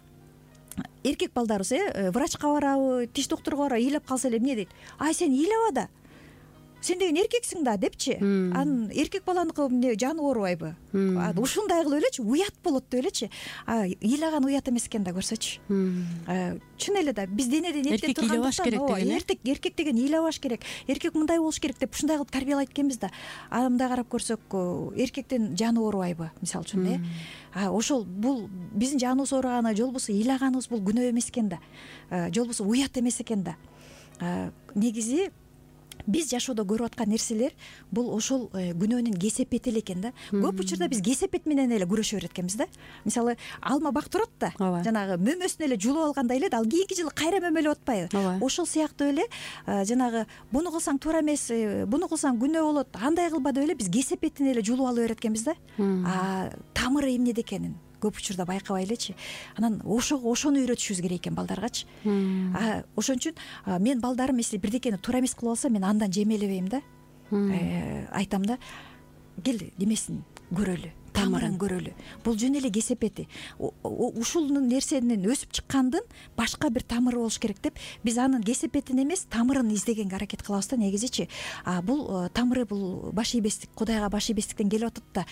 эркек балдарыбыз врачка барабы, тиш доктурга барабы, ыйлап калса эле эмне дейт: ай, сен ыйлаба да, сен деген эркексиң да депчи. Анан эркек баланыкы эмне, жаны оорубайбы? Ушундай кылып элечи, уят болот деп элечи. Ыйлаган уят эмес экен да, көрсөчү. Чын эле да, биз денеден эттен тургандыктан эркек деген ыйлабаш керек, эркек мындай болуш керек деп ушундай кылып тарбиялайт экенбиз да. Мындай карап көрсөк, эркектин жаны оорубайбы, мисалы үчүн ошол бул биздин жаныбыз ооруганы, же болбосо ыйлаганыбыз бул күнөө эмес экен да, же болбосо уят эмес экен да. Негизи биз жашоодо көрүп аткан нерселер бул ошол күнөөнүн кесепети эле экен да. Көп учурда биз кесепет менен эле күрөшө берет экенбиз да. Мисалы алма бак турат да, жанагы мөмөсүн эле жулуп алгандай эле, ал кийинки жылы кайра мөмөлөп атпайбы? Ошол сыяктуу эле жанагы буну кылсаң туура эмес, буну кылсаң күнөө болот, андай кылба деп эле биз кесепетин эле жулуп алып берет экенбиз да. Тамыры эмнеде экенин көп учурда байкабай элечи. Анан ошону үйрөтүшүбүз керек экен балдаргачы. Ошон үчүн мен балдарым если бирдекени туура эмес кылып алса, мен андан жемелебейм да. Айтам да: кел немесин көрөлү, тамырын көрөлү. Бул жөн эле кесепети. Ушул нерсенин өсүп чыккандын башка бир тамыры болуш керек деп биз анын кесепетин эмес, тамырын издегенге аракет кылабыз да негизичи. Бул тамыры, бул баш ийбестик, Кудайга баш ийбестиктен келип атат да.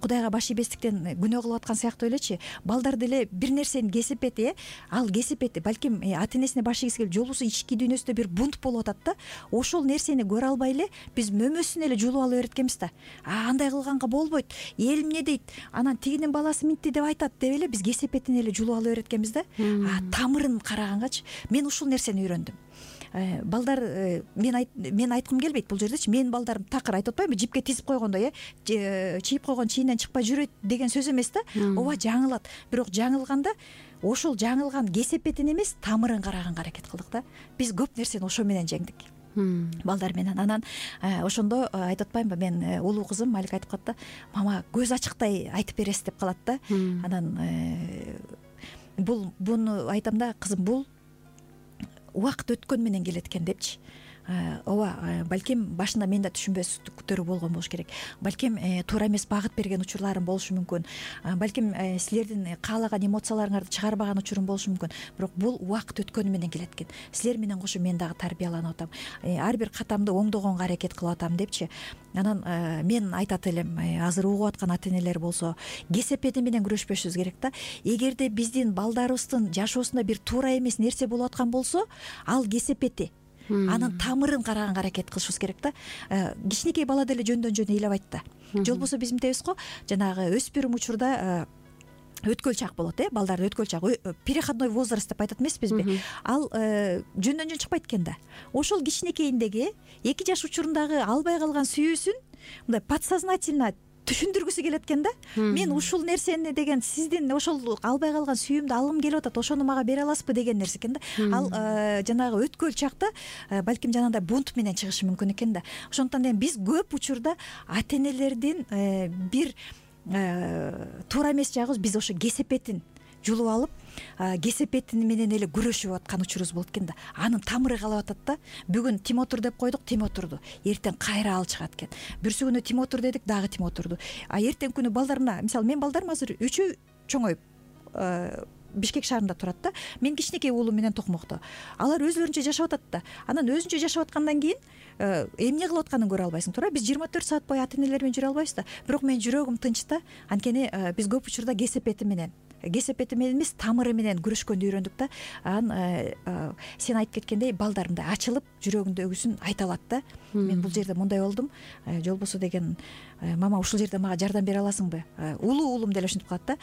Кудайга баш ийбестиктен күнөө кылып аткан сыяктуу элечи. Балдар деле бир нерсенин кесепети, ал кесепети балким ата энесине баш ийгиси келип, же болбосо ички дүйнөсүндө бир бунт болуп атат да. Ошол нерсени көрө албай эле биз мөмөсүн эле жулуп алып берет экенбиз да. Андай кылганга болбойт, эл эмне дейт, анан тигинин баласы мынтти деп айтат деп эле биз кесепетин эле жулуп алып берет экенбиз да. Тамырын карагангачы мен ушул нерсени үйрөндүм. балдар мен айткым келбейт бул жердечи. Менин балдарым такыр айтып атпаймынбы, жипке тизип койгондой, чийип койгон чийинен чыкпай жүрөт деген сөз эмес да. Ооба, жаңылат. Бирок жаңылганда ошол жаңылган кесепетин эмес, тамырын караганга аракет кылдык да. Биз көп нерсени ошо менен жеңдик. Балдар менен. Анан ошондо айтып атпаймынбы, мен улуу кызым Малика айтып калат да, мама көз ачыктай айтып бересиз деп калат да. Анан буну айтам да, кызым, бул убакыт өткөн менен келет экен депчи. Ооба, балким башында мен да түшүнбөстүктөр болгон болуш керек. Балким туура эмес багыт берген учурларым болушу мүмкүн. Балким силердин каалаган эмоцияларыңарды чыгарбаган учурум болушу мүмкүн. Бирок бул убакыт өткөнү менен келет экен. Силер менен кошо мен дагы тарбияланып атам. Ар бир катамды оңдогонго аракет кылып атам депчи. Анан мен айтат элем, азыр угуп аткан ата энелер болсо, кесепети менен күрөшпөшүбүз керек да. Эгерде биздин балдарыбыздын жашоосунда бир туура эмес нерсе болуп аткан болсо, ал кесепети, анын тамырын караганга аракет кылышыбыз керек да. Кичинекей бала деле жөндөн жөн ыйлабайт да. Же болбосо биз мынтебиз го, жанагы өспүрүм учурда өткөл чак болот, балдардын өткөл чак, переходной возраст деп айтат эмеспизби? Ал жөндөн жөн чыкпайт экен да. Ошол кичинекейиндеги 2 жаш учурундагы албай калган сүйүүсүн мындай подсознательно түшүндүргүсү келет экен да. Мен ушул нерсени деген, сиздин ошол албай калган сүйүүмдү алгым келип атат, ошону мага бере аласызбы деген нерсе экен да. Ал жанагы өткөл чакта балким жанагындай бунт менен чыгышы мүмкүн экен да. Ошондуктан биз көп учурда ата энелердин бир туура эмес жагыбыз, биз ошо кесепетин жулуп алып, кесепетин менен эле күрөшүп аткан учурубуз болот экен да. Анын тамыры калып атат да. Бүгүн Тимотур деп койдук, Тимотурду. Эртең кайра ал чыгат экен. Бүрсү күнү Тимотур дедик, дагы Тимотурду. Эртең күнү балдар, мына мисалы менин балдарым азыр 3-ü чоңоюп Бишкек шаарында турат да. Мен кичинекей уулум менен Токмокто. Алар өзлөрүнчө жашап атат да. Анан өзүнчө жашап аткандан кийин эмне кылып атканын көрө албайсың, туура. Биз 24 саат бою ата энелер менен жүрө албайбыз да. Бирок менин жүрөгүм тынч да. Анткени биз көп учурда кесепети менен эмес, тамыры менен күрөшкөндү үйрөндүк да. Сен айтып кеткендей, балдар мындай ачылып жүрөгүндөгүсүн айта алат да. Мен бул жерде мындай болдум, же болбосо деген, мама ушул жерде мага жардам бере аласыңбы? Улуу уулум деле ушинтип калат да.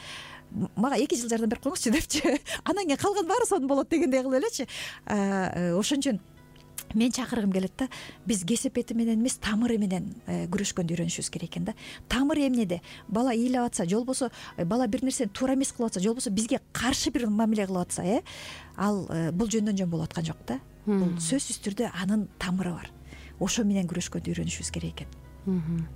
Мага 2 жыл жардам берип коюңузчу депчи. Анан кийин калган баары сонун болот дегендей кылып элечи. Ошон үчүн мен чакыргым келет да, биз кесепети менен эмес, тамыры менен күрөшкөндү үйрөнүшүбүз керек экен да. Тамыр эмнеде? Бала ыйлап атса, же болбосо бала бир нерсени туура эмес кылып атса, же болбосо бизге каршы бир мамиле кылып атса, ал бул жөндөн жөн болуп аткан жок да. Бул сөзсүз түрдө анын тамыры бар. Ошо менен күрөшкөндү үйрөнүшүбүз керек экен.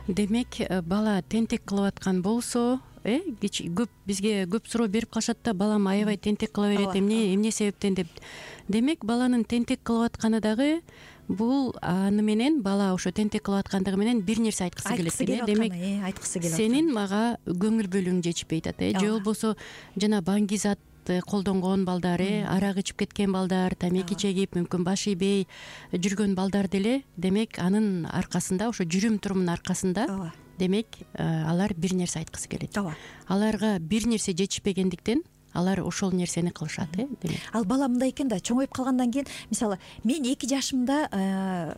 Демек, бала тентек кылып аткан болсо, көп бизге көп суроо берип калышат да, балам аябай тентек кыла берет, эмне себептен деп. Демек, баланын тентек кылып атканы дагы бул аны менен, бала ошо тентек кылып аткандыгы менен бир нерсе айткысы келет экен. Демек, айткысы келет. Сенин мага көңүл бөлүүң жетишпей атат, же болбосо жана баңгизат колдонгон балдар, арак ичип кеткен балдар, тамеки чегип, мүмкүн баш ийбей жүргөн балдар деле, демек анын аркасында, ошо жүрүм турумунун аркасында, демек алар бир нерсе айткысы келет. Аларга бир нерсе жетишпегендиктен алар ошол нерсени кылышат, демек. Ал бала мындай экен да, чоңоюп калгандан кийин, мисалы, мен 2 жашымда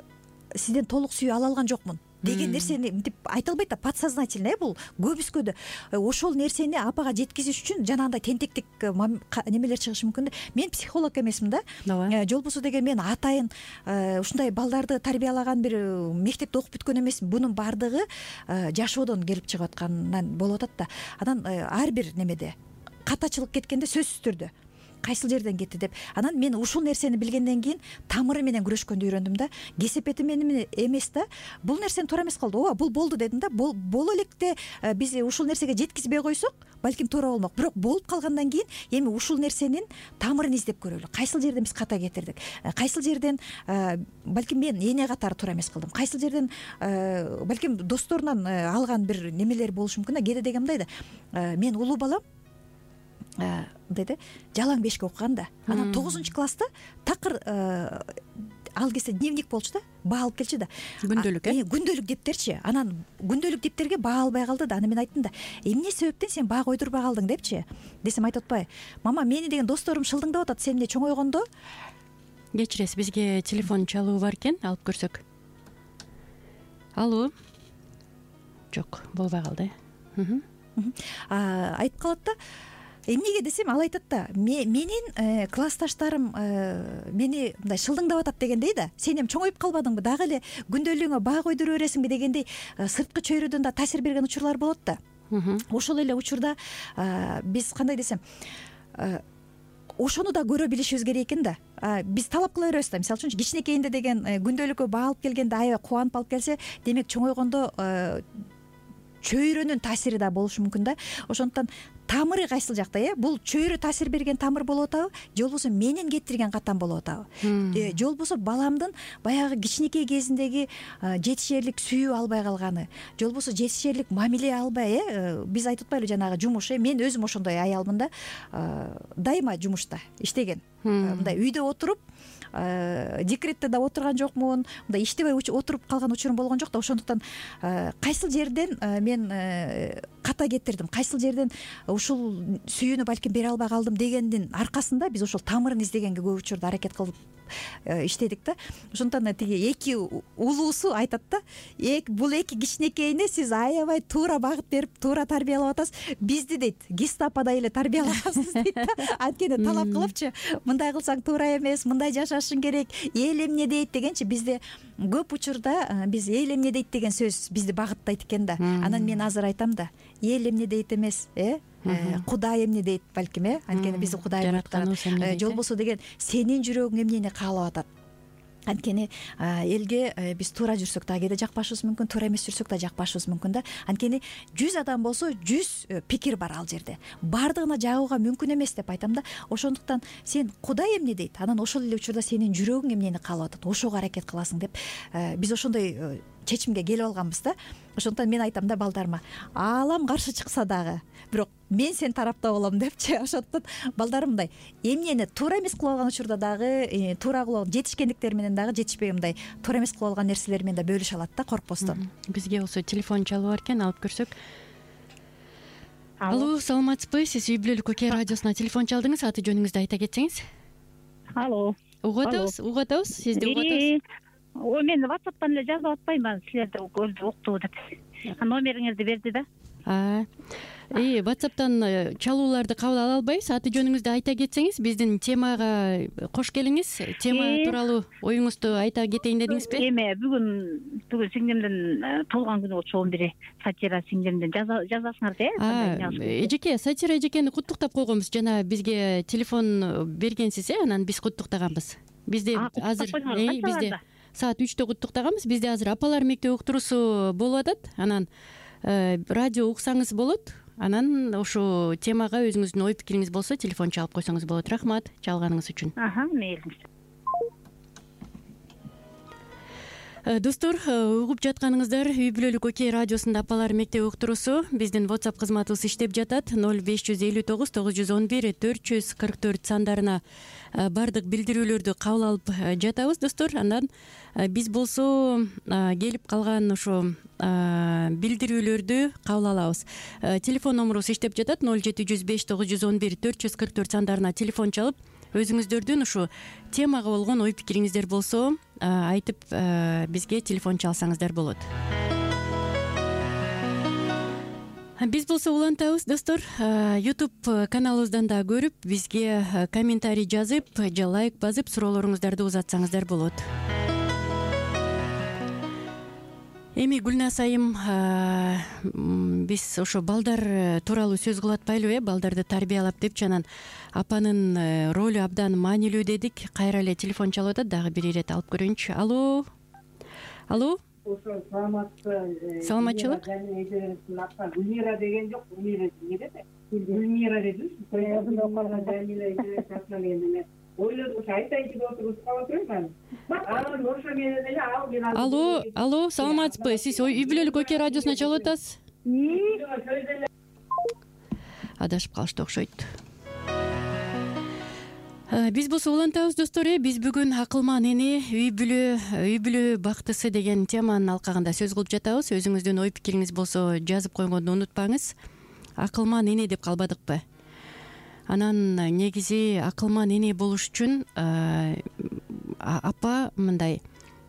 сизден толук сүйүү ала алган жокмун деген нерсени мынтип айта албайт да, подсознательно, бул көбүскөдө ошол нерсени апага жеткизиш үчүн жанагындай тентектик немелер чыгышы мүмкүн да. Мен психолог эмесмин да. Же болбосо деген мен атайын ушундай балдарды тарбиялаган бир мектепте окуп бүткөн эмес. Бунун баардыгы жашоодон келип чыгып аткандан болуп атат да. Анан ар бир немеде катачылык кеткенде сөзсүз түрдө кайсыл жерден кетти деп. Анан мен ушул нерсени билгенден кийин тамыры менен күрөшкөндү үйрөндүм да. Кесепети менен эмес да. Бул нерсени туура эмес кылды. Ооба, бул болду дедим да. Боло электе биз ушул нерсеге жеткизбей койсок, балким туура болмок. Бирок болуп калгандан кийин эми ушул нерсенин тамырын издеп көрөлү. Кайсыл жерден биз ката кетирдик? Кайсыл жерден балким мен эне катары туура эмес кылдым? Кайсыл жерден балким досторунан алган бир немелер болушу мүмкүн да. Кээде деген мындай да. Мен улуу балам мындай да, жалаң бешке окуган да. Анан 9-класста такыр ал кезде дневник болчу да, баа алып келчү да. Күндөлүк, күндөлүк дептерчи. Анан күндөлүк дептерге баа албай калды да. Аны мен айттым да, эмне себептен сен баа койдурбай калдың депчи. Десем айтып атпайбы, мама, мени деген досторум шылдыңдап атат, сен эмне чоңойгондо. Кечиресиз, бизге телефон чалуу бар экен, алып көрсөк. Алло. Жок, болбой калды. Айтып калат да, эмнеге десем, ал айтат да, менин классташтарым мени мындай шылдыңдап атат дегендей да. Сен эми чоңоюп калбадыңбы, дагы эле күндөлүгүңө баа койдура бересиңби дегендей сырткы чөйрөдөн да таасир берген учурлар болот да. Ошол эле учурда биз кандай десем, ошону да көрө билишибиз керек экен да. Биз талап кыла беребиз да. Мисалы үчүн кичинекейинде деген күндөлүккө баа алып келгенде аябай кубанып алып келсе, демек чоңойгондо чөйрөнүн таасири да болушу мүмкүн да. Ошондуктан тамыры кайсыл жакта, бул чөйрө таасир берген тамыр болуп атабы, же болбосо менин кетирген катам болуп атабы, же болбосо баламдын баягы кичинекей кезиндеги жетишерлик сүйүү албай калганы, же болбосо жетишерлик мамиле албай, биз айтып атпайлыбы жанагы жумуш, мен өзүм ошондой аялмын да, дайыма жумушта иштеген, мындай үйдө отуруп декретте да отурган жокмун, мындай иштебей отуруп калган учурум болгон жок да. Ошондуктан кайсыл жерден мен ката кетирдим, кайсыл жерден ушул сүйүүнү балким бере албай калдым дегендин аркасында биз ошол тамырын издегенге көп учурда аракет кылып иштедик да. Ошондуктан тиги эки улуусу айтат да, бул эки кичинекейине сиз аябай туура багыт берип, туура тарбиялап атасыз, бизди дейт гестаподай эле тарбиялагансыз дейт да. Анткени талап кылыпчы, мындай кылсаң туура эмес, мындай жашашың керек, эл эмне дейт дегенчи, бизде көп учурда биз эл эмне дейт деген сөз бизди багыттайт экен да. Анан мен азыр айтам да, эл эмне дейт эмес, Кудай эмне дейт балким, анткени биздин Кудайыбыз же болбосо деген сенин жүрөгүң эмнени каалап атат. Анткени элге биз туура жүрсөк да кээде жакпашыбыз мүмкүн, туура эмес жүрсөк да жакпашыбыз мүмкүн да. Анткени 100 адам болсо 100 пикир бар ал жерде. Бардыгына жагууга мүмкүн эмес деп айтам да. Ошондуктан сен Кудай эмне дейт, анан ошол эле учурда сенин жүрөгүң эмнени каалап атат, ошого аракет кыласың деп биз ошондой чечимге келип алганбыз да. Ошондуктан мен айтам да балдарыма, аалам каршы чыкса дагы, бирок мен сен тарапта болом депчи. Ошондуктан балдарым мындай эмнени туура эмес кылып алган учурда дагы, туура кылып жетишкендиктер менен дагы жетишпей мындай туура эмес кылып алган нерселер менен да бөлүшө алат да, коркпостон. Бизге болсо телефон чалып бар экен, алып көрсөк. Алло, саламатсызбы? Сиз Үй бүлөлүк Окей радиосуна телефон чалдыңыз, аты жөнүңүздү айта кетсеңиз. Алло. Угуп атабыз, сизди угуп атабыз. Мен WhatsApp'тан эле жазып атпаймынбы, силерди көрдү, укту деп. Номериңизди берди да. WhatsApp'тан чалууларды кабыл ала албайбыз. Аты жөнүңүздү айта кетсеңиз, биздин темага кош келиңиз. Тема тууралуу оюңузду айта кетейин дедиңизби? Бүгүн сиңдимдин туулган күнү болчу, 11 Сатира сиңдимдин жазасыңар да. Эжеке, Сатира эжекени куттуктап койгонбуз. Жана бизге телефон бергенсиз, анан биз куттуктаганбыз. Бизде азыр бизде саат 3-тө куттуктаганбыз. Бизде азыр апалар мектеби уктуруусу болуп атат. Анан радио уксаңыз болот. Анан ошо темага өзүңүздүн ой пикириңиз болсо телефон чалып койсоңуз болот. Рахмат чалганыңыз үчүн. Мейлиңиз. Достор, угуп жатканыңыздар Үй бүлөлүк Окей радиосунда апалар мектеби уктуруусу. Биздин WhatsApp кызматыбыз иштеп жатат. 0559 911 444 сандарына бардык билдирүүлөрдү кабыл алып жатабыз, достор. Андан биз болсо келип калган ошо билдирүүлөрдү кабыл алабыз. Телефон номерубуз иштеп жатат. 0705 911 444 сандарына телефон чалып, өзүңүздөрдүн ушу темага болгон ой пикириңиздер болсо айтып бизге телефон чалсаңыздар болот. Биз болсо улантабыз, достор. YouTube каналыбыздан да көрүп, бизге комментарий жазып же лайк басып суроолоруңуздарды узатсаңыздар болот. Эми Гүлназ айым, биз ошо балдар тууралуу сөз кылып атпайлыбы, балдарды тарбиялап депчи, анан апанын ролу абдан маанилүү дедик. Кайра эле телефон чалып атат, дагы бир ирет алып көрөйүнчү. Алло. Саламатчылык. Гүлмира деген жок, Гүлмира деди. Ойлодум, айтайын деп отуруп калып атырмын. Анан ошо менен эле Алло, саламатсызбы? Сиз Үй бүлөлүк Окей радиосуна чалып атасыз? Адашып калышты окшойт. Биз болсо улантабыз, достор. Биз бүгүн акылман эне, үй бүлө бактысы деген теманын алкагында сөз кылып жатабыз. Өзүңүздүн ой пикириңиз болсо жазып койгонду унутпаңыз. Акылман эне деп калбадыкпы? Анан негизи акылман эне болуш үчүн апа мындай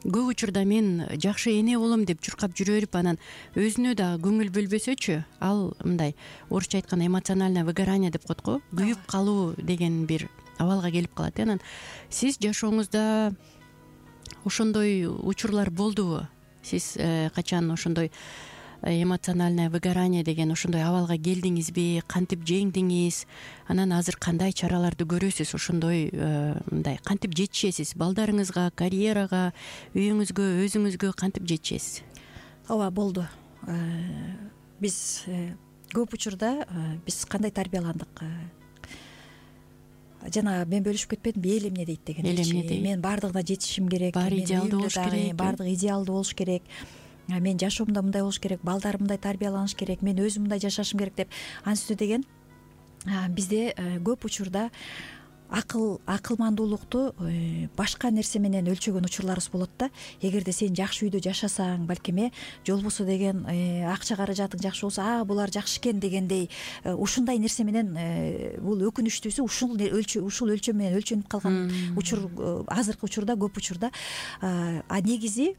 көп учурда мен жакшы эне болом деп чуркап жүрө берип анан өзүнө дагы көңүл бөлбөсөчү, ал мындай орусча айтканда эмоциональное выгорание деп коет го, күйүп калуу деген бир абалга келип калат. Анан сиз жашооңузда ошондой учурлар болдубу? Сиз качан ошондой эмоциональное выгорание деген ошондой абалга келдиңизби, кантип жеңдиңиз, анан азыр кандай чараларды көрөсүз? Ошондой мындай кантип жетишесиз балдарыңызга, карьерага, үйүңүзгө, өзүңүзгө кантип жетишесиз? Ооба, болду. Биз көп учурда биз кандай тарбияландык? Жана мен бөлүшүп кетпедимби, эл эмне дейт деген. Эл эмне дейт? Мен баардыгына жетишим керек, баары идеалдуу болуш керек, баардыгы идеалдуу болуш керек, мен жашоомдо мындай болуш керек, балдарым мындай тарбияланыш керек, мен өзүм мындай жашашым керек деп анысы деген бизде көп учурда акылмандуулукту башка нерсе менен өлчөгөн учурларыбыз болот да. Эгерде сен жакшы үйдө жашасаң, балким жолбосо деген акча каражатың жакшы болсо, булар жакшы экен дегендей ушундай нерсе менен бул өкүнүчтүүсү ушул өлчөм менен өлчөнүп калган учур азыркы учурда көп учурда. Негизи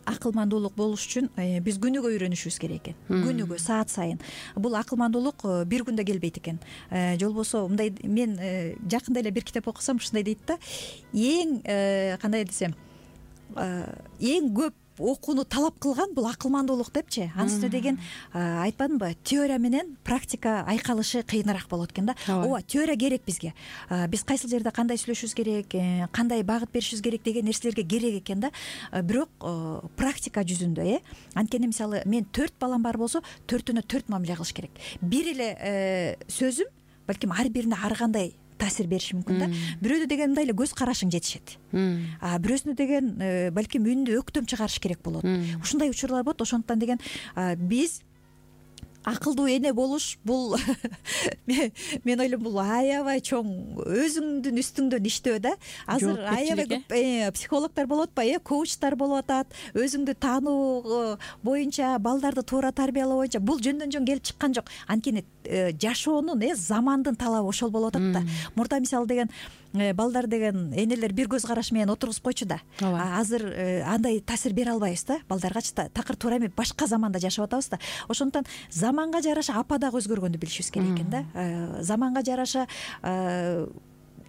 акылмандуулук болуш үчүн биз күнүгө үйрөнүшүбүз керек экен. Күнүгө, саат сайын. Бул акылмандуулук бир күндө келбейт экен. Жолбосо мындай, мен жакында эле бир китеп окусам ушундай дейт да, эң кандай десем, эң көп окууну талап кылган бул акылмандуулук депчи. Анысы деген айтпадымбы, теория менен практика айкалышы кыйыныраак болот экен да. Ооба, теория керек бизге. Биз кайсыл жерде кандай сүйлөшүбүз керек, кандай багыт беришибиз керек деген нерселерге керек экен да. Бирок практика жүзүндө анткени мисалы мен 4 балам бар болсо 4-өнө 4 мамиле кылыш керек. Бир эле сөзүм балким ар бирине ар кандай таасир бериши мүмкүн да. Бирөөдө деген мындай эле көз карашың жетишет. Бирөөсүнө деген балким үнүндө өктөм чыгарыш керек болот. Ушундай учурлар болот. Ошондуктан деген биз акылдуу эне болуш бул мен ойлойм бул аябай чоң өзүңдүн үстүңдөн иштөө да. Азыр аябай көп психологдор болуп атпайбы, коучтар болуп атат, өзүңдү таануу боюнча, балдарды туура тарбиялоо боюнча. Бул жөндөн жөн келип чыккан жок. Анткени жашоонун замандын талабы ошол болуп атат да. Мурда мисалы деген балдар деген энелер бир көз караш менен отургузуп койчу да. Азыр андай таасир бере албайбыз да балдаргачы. Такыр туура эмес, башка заманда жашап атабыз да. Ошондуктан заманга жараша апа дагы өзгөргөндү билишибиз керек экен да. Заманга жараша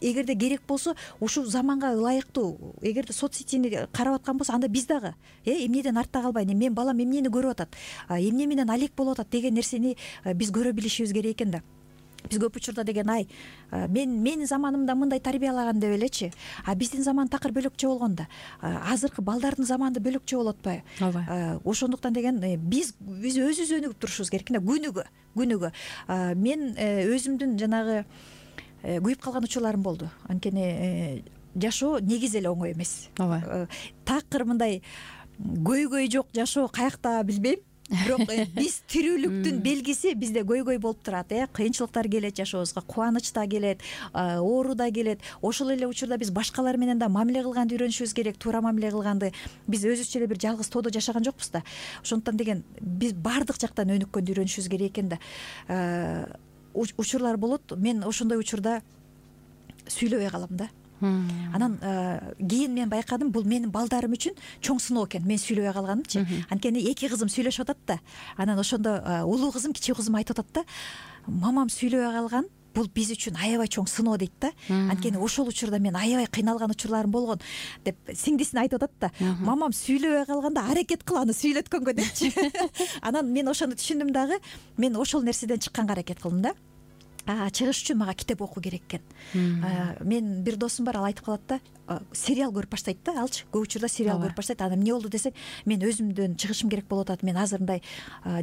эгерде керек болсо ушул заманга ылайыктуу, эгерде соцсетини карап аткан болсо, анда биз дагы эмнеден артта калбай, мен балам эмнени көрүп атат, эмне менен алек болуп атат деген нерсени биз көрө билишибиз керек экен да. Биз көп учурда деген менин заманымда мындай тарбиялаган деп элечи, биздин заман такыр бөлөкчө болгон да. Азыркы балдардын заманы бөлөкчө болуп атпайбы? Ооба. Ошондуктан деген биз өзүбүз өнүгүп турушубуз керек да, күнүгө. Мен өзүмдүн жанагы күйүп калган учурларым болду. Анткени жашоо негизи эле оңой эмес. Ооба. Такыр мындай көйгөй жок жашоо каякта билбейм. Бирок биз тирүүлүктүн белгиси бизде көйгөй болуп турат. Кыйынчылыктар келет жашообузга, кубаныч да келет, оору да келет. Ошол эле учурда биз башкалар менен да мамиле кылганды үйрөнүшүбүз керек, туура мамиле кылганды. Биз өзүбүзчө эле бир жалгыз тоодо жашаган жокпуз да. Ошондуктан деген биз баардык жактан өнүккөндү үйрөнүшүбүз керек экен да. Учурлар болот. Мен ошондой учурда сүйлөбөй калам да. Анан кийин мен байкадым, бул менин балдарым үчүн чоң сыноо экен мен сүйлөбөй калганымчы. Анткени 2 кызым сүйлөшүп атат да. Анан ошондо улуу кызым, кичүү кызым айтып атат да, мамам сүйлөбөй калган, бул биз үчүн аябай чоң сыноо дейт да. Анткени ошол учурда мен аябай кыйналган учурларым болгон деп сиңдисине айтып атат да. Мамам сүйлөбөй калганда аракет кыл аны сүйлөткөнгө депчи. Анан мен ошону түшүндүм дагы. Мен ошол нерседен чыкканга аракет кылдым да. Чыгыш үчүн мага китеп окуу керек экен. Мен бир досум бар, ал айтып калат да, сериал көрүп баштайт да, алчы. Көп учурда сериал көрүп баштайт. Анан эмне болду десең, мен өзүмдөн чыгышым керек болуп атат. Мен азыр мындай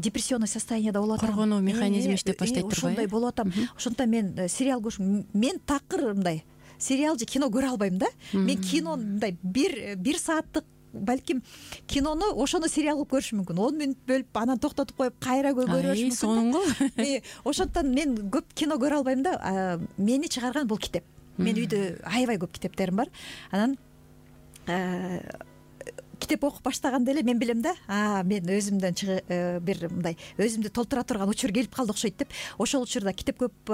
депрессионный состоянияда болуп атам. Коргонуу механизми иштеп баштайт турбайбы? Ошондой болуп атам. Ошондуктан мен сериал көрүшүм, мен такыр мындай сериал же кино көрө албайм да. Мен кино мындай бир сааттык балким кинону ошону сериал кылып көрүшүм мүмкүн. 10 мүнөт бөлүп анан токтотуп коюп кайра көрүшүм мүмкүн. Соңго. Ошондуктан мен көп кино көрө албайм да. Мени чыгарган бул китеп. Мен үйдө аябай көп китептерим бар. Анан китеп окуп баштаганда эле мен билем да, мен өзүмдөн бир мындай өзүмдү толтура турган учур келип калды окшойт деп. Ошол учурда китеп көп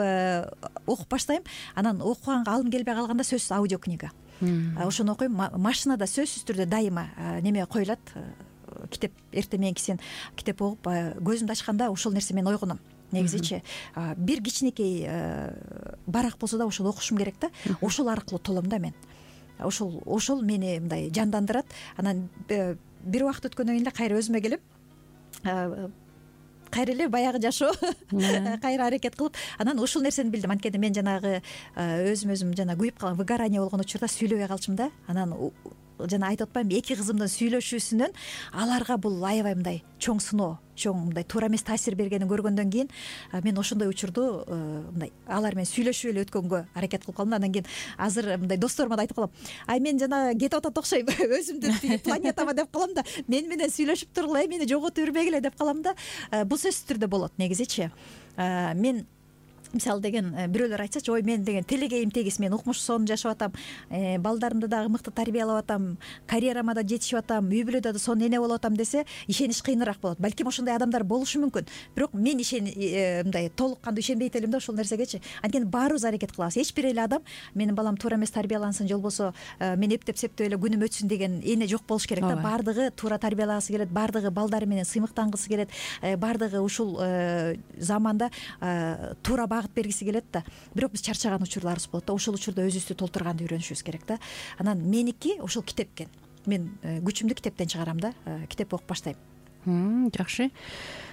окуп баштайм. Анан окуганга алым келбей калганда сөзсүз аудиокнига. Ошону окуйм. Машинада сөзсүз түрдө дайыма неме коюлат. Китеп эртең мененки сен китеп окуп көзүмдү ачканда ошол нерсе мен ойгоном. Негизичи бир кичинекей барак болсо да ошону окушум керек да. Ошол аркылуу толом да мен. Ошол мени мындай жандандырат. Анан бир убакыт өткөндөн кийин эле кайра өзүмө келип, кайра эле баягы жашоо кайра аракет кылып, анан ушул нерсени билдим. Анткени мен жанагы өзүм жана күйүп калган выгорание болгон учурда сүйлөбөй калчумун да. Анан жана айтып атпаймынбы, эки кызымдын сүйлөшүүсүнөн аларга бул аябай мындай чоң сыноо, чоң мындай туура эмес таасир бергенин көргөндөн кийин мен ошондой учурду мындай алар менен сүйлөшүп эле өткөнгө аракет кылып калдым. Андан кийин азыр мындай досторума да айтып калам. Мен жана кетип атат окшойм, өзүмдүн планетама деп калам да. Мен менен сүйлөшүп тургула, мени жоготуп жүрбөгүлө деп калам да. Бул сөзсүз түрдө болот негизичи. Мен мисалы деген бирөөлөр айтсачы, ой мен деген телегейим тегиз, мен укмуш сонун жашап атам, балдарымды дагы мыкты тарбиялап атам, карьерама да жетишип атам, үй бүлөдө да сонун эне болуп атам десе, ишениш кыйыныраак болот. Балким ошондой адамдар болушу мүмкүн. Бирок мен мындай толук кандуу ишенбейт элем да ошол нерсегечи. Анткени баарыбыз аракет кылабыз. Эч бир эле адам менин балам туура эмес тарбиялансын, же болбосо мен эптеп септеп эле күнүм өтсүн деген эне жок болуш керек да. Баардыгы туура тарбиялагысы келет, баардыгы балдары менен сыймыктангысы келет, баардыгы ушул заманда туура багыт бергиси келет да. Бирок биз чарчаган учурларыбыз болот да. Ошол учурда өзүбүздү толтурганды үйрөнүшүбүз керек да. Анан меники ошол китеп экен. Мен күчүмдү китептен чыгарам да. Китеп окуп баштайм. Жакшы.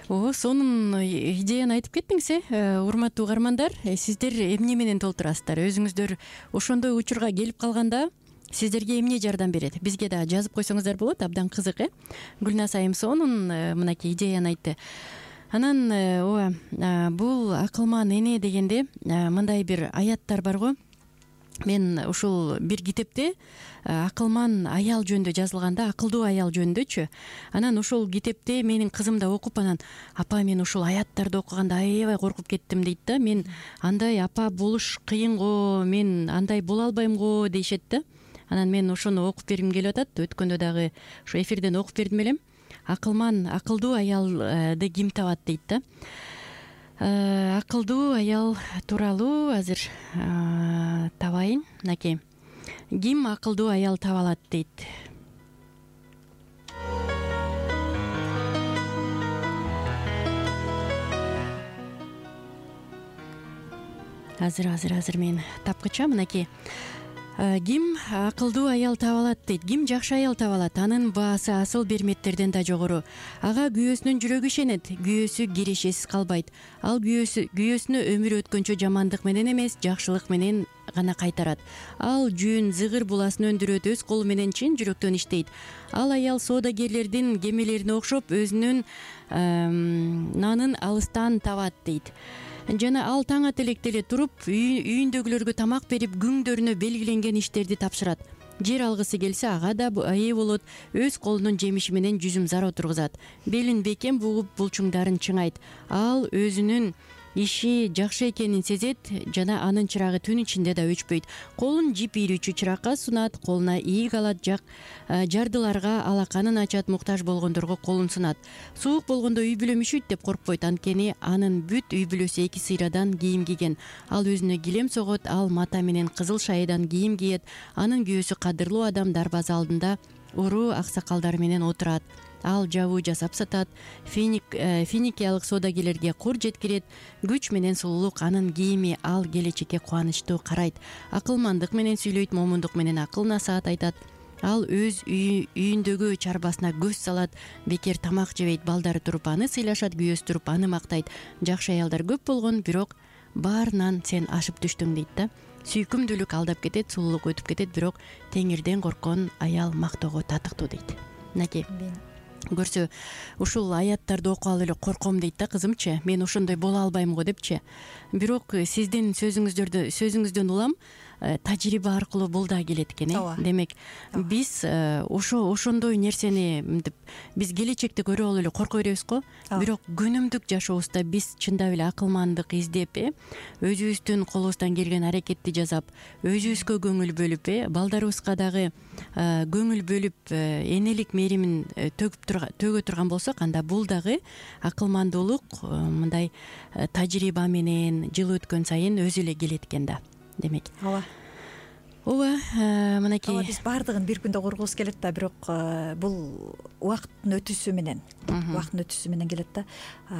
Сонун идеяны айтып кеттиңиз, урматтуу угармандар. Сиздер эмне менен толтурасыздар? Өзүңүздөр ошондой учурга келип калганда сиздерге эмне жардам берет? Бизге да жазып койсоңуздар болот. Абдан кызык, Гүлназ айым сонун мынакей идеяны айтты. Анан бул акылман эне дегенде мындай бир аяттар бар го. Мен ушул бир китепте акылман аял жөнүндө жазылган да, акылдуу аял жөнүндөчү. Анан ушул китепте менин кызым да окуп, анан апа мен ушул аяттарды окуганда аябай коркуп кеттим дейт да. Мен андай апа болуш кыйын го, мен андай боло албайм го дейшет да. Анан мен ошону окуп бергим келип атат. Өткөндө дагы ушу эфирден окуп бердим элем. Акылдуу аялды ким табат дейт да. Акылдуу аял тууралуу азыр табайын. Мынакей. Ким акылдуу аял таба алат дейт. Азыр мен тапкыча. Мынакей. Ким акылдуу аял таба алат дейт. Ким жакшы аял таба алат? Анын баасы асыл берметтерден да жогору. Ага күйөөсүнүн жүрөгү ишенет. Күйөөсү кирешесиз калбайт. Ал күйөөсүнө өмүр өткөнчө жамандык менен эмес, жакшылык менен гана кайтарат. Ал жүүн зыгыр буласын өндүрөт, өз колу менен чын жүрөктөн иштейт. Ал аял соодагерлердин кемелерине окшоп өзүнүн нанын алыстан табат дейт. Жана ал таң ата электе эле туруп, үйүндөгүлөргө тамак берип, күңдөрүнө белгиленген иштерди тапшырат. Жер алгысы келсе ага да ээ болот, өз колунун жемиши менен жүзүм зар отургузат. Белин бекем бугуп, булчуңдарын чыңайт. Ал өзүнүн иши жакшы экенин сезет жана анын чырагы түн ичинде да өчпөйт. Колун жип ийрүүчү чыракка сунат, колуна ийик алат, жардыларга алаканын ачат, муктаж болгондорго колун сунат. Суук болгондо үй бүлөм үшүйт деп коркпойт, анткени анын бүт үй бүлөсү эки сыйрадан кийим кийген. Ал өзүнө килем согот, ал мата менен кызыл шайыдан кийим кийет. Анын күйөөсү кадырлуу адам дарбаза алдында уруу аксакалдары менен отурат. Ал жабуу жасап сатат, финикиялык соодагерлерге кур жеткирет, күч менен сулуулук анын кийими, ал келечекке кубанычтуу карайт. Акылмандык менен сүйлөйт, момундук менен акыл насаат айтат. Ал өз үйүндөгү чарбасына көз салат, бекер тамак жебейт, балдары туруп аны сыйлашат, күйөөсү туруп аны мактайт. Жакшы аялдар көп болгон, бирок баарынан сен ашып түштүң дейт да. Сүйкүмдүүлүк алдап кетет, сулуулук өтүп кетет, бирок теңирден корккон аял мактоого татыктуу дейт. Мынакей. Көрсө, ушул аяттарды окуп эле корком дейт да кызымчы. Мен ошондой боло албайм го депчи. Бирок сиздин сөзүңүздөн улам, тажрыйба аркылуу бул да келет экен. Демек биз ошондой нерсени мынтип биз келечекти көрүп алып эле корко беребиз го. Бирок күнүмдүк жашообузда биз чындап эле акылмандык издеп, өзүбүздүн колубуздан келген аракетти жасап, өзүбүзгө көңүл бөлүп, балдарыбызга дагы көңүл бөлүп, энелик мээримин төгө турган болсок, анда бул дагы акылмандуулук мындай тажрыйба менен жыл өткөн сайын өзү эле келет экен да. Демек мынакей биз баардыгын бир күндө кургубуз келет да, бирок бул убакыттын өтүүсү менен келет да.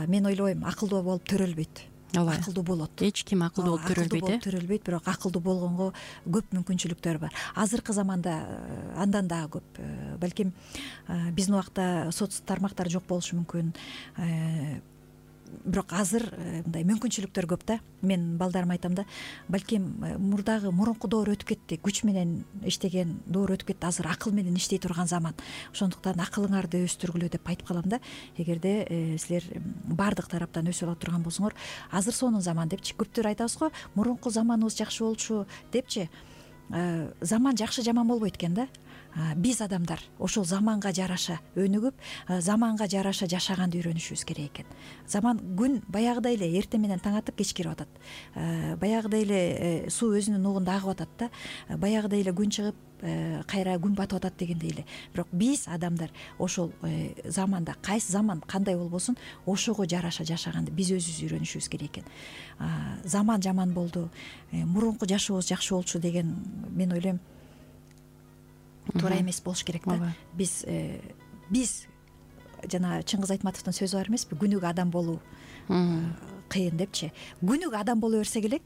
Мен ойлойм, акылдуу болуп төрөлбөйт. Акылдуу болот. Эч ким акылдуу болуп төрөлбөйт, бирок акылдуу болгонго көп мүмкүнчүлүктөр бар. Азыркы заманда андан дагы көп. Балким биздин убакта соц тармактар жок болушу мүмкүн. Бирок азыр мындай мүмкүнчүлүктөр көп да. Мен балдарыма айтам да, балким мурунку доор өтүп кетти, күч менен иштеген доор өтүп кетти, азыр акыл менен иштей турган заман. Ошондуктан акылыңарды өстүргүлө деп айтып калам да. Эгерде силер баардык тараптан өсүп ала турган болсоңор, азыр сонун заман депчи. Көптөр айтабыз го, мурунку заманыбыз жакшы болчу депчи. Заман жакшы жаман болбойт экен да. Биз адамдар ошол заманга жараша өнүгүп, заманга жараша жашаганды үйрөнүшүбүз керек экен. Заман күн баягыдай эле эртең менен таң атып кеч кирип атат. Баягыдай эле суу өзүнүн угунда агып атат да. Баягыдай эле күн чыгып, кайра күн батып атат дегендей эле. Бирок биз адамдар ошол заманда кайсы заман кандай болбосун, ошого жараша жашаганды биз өзүбүз үйрөнүшүбүз керек экен. Заман жаман болду, мурунку жашообуз жакшы болчу деген мен ойлойм туура эмес болуш керек да. Биз жана Чыңгыз Айтматовдун сөзү бар эмеспи, күнүгө адам болуу кыйын депчи. Күнүгө адам боло берсек элек,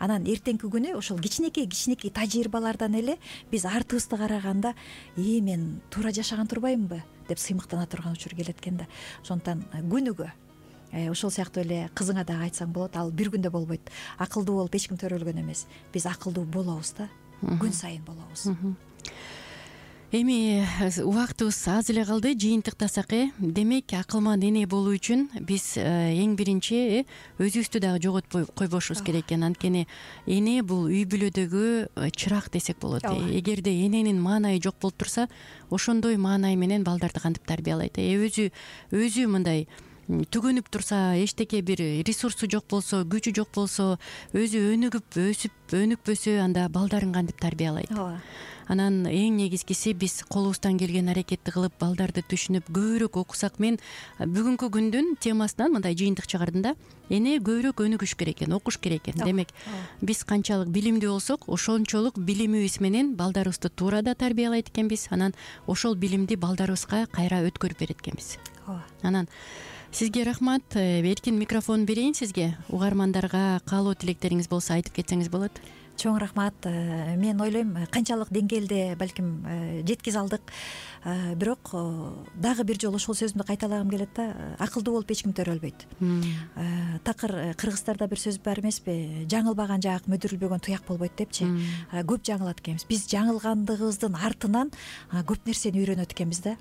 анан эртеңки күнү ошол кичинекей тажрыйбалардан эле биз артыбызды караганда, мен туура жашаган турбаймынбы деп сыймыктана турган учур келет экен да. Ошондуктан күнүгө ошол сыяктуу эле кызыңа дагы айтсаң болот, ал бир күндө болбойт. Акылдуу болуп эч ким төрөлгөн эмес. Биз акылдуу болобуз да, күн сайын болобуз. Эми убактыбыз аз эле калды, жыйынтыктасак, демек акылман эне болуу үчүн биз эң биринчи өзүбүздү дагы жоготпой койбошубуз керек экен. Анткени эне бул үй бүлөдөгү чырак десек болот. Эгерде эненин маанайы жок болуп турса, ошондой маанай менен балдарды кантип тарбиялайт? Өзү мындай түгөнүп турса, эчтеке бир ресурсу жок болсо, күчү жок болсо, өзү өнүгүп өнүкпөсө, анда балдарын кантип тарбиялайт? Анан эң негизгиси биз колубуздан келген аракетти кылып, балдарды түшүнүп көбүрөөк окусак, мен бүгүнкү күндүн темасынан мындай жыйынтык чыгардым да. Эне көбүрөөк өнүгүш керек экен, окуш керек экен. Демек, биз канчалык билимдүү болсок, ошончолук билимибиз менен балдарыбызды туура да тарбиялайт экенбиз. Анан ошол билимди балдарыбызга кайра өткөрүп берет экенбиз. Анан сизге рахмат. Эркин микрофон берейин сизге. Угармандарга каалоо тилектериңиз болсо айтып кетсеңиз болот. Чоң рахмат. Мен ойлойм, канчалык деңгээлде балким жеткизе алдык. Бирок дагы бир жолу ошол сөзүмдү кайталагым келет да. Акылдуу болуп эч ким төрөлбөйт. Такыр кыргыздарда бир сөз бар эмеспи? Жаңылбаган жаак, мөдүрүлбөгөн туяк болбойт депчи. Көп жаңылат экенбиз. Биз жаңылгандыгыбыздын артынан көп нерсени үйрөнөт экенбиз да.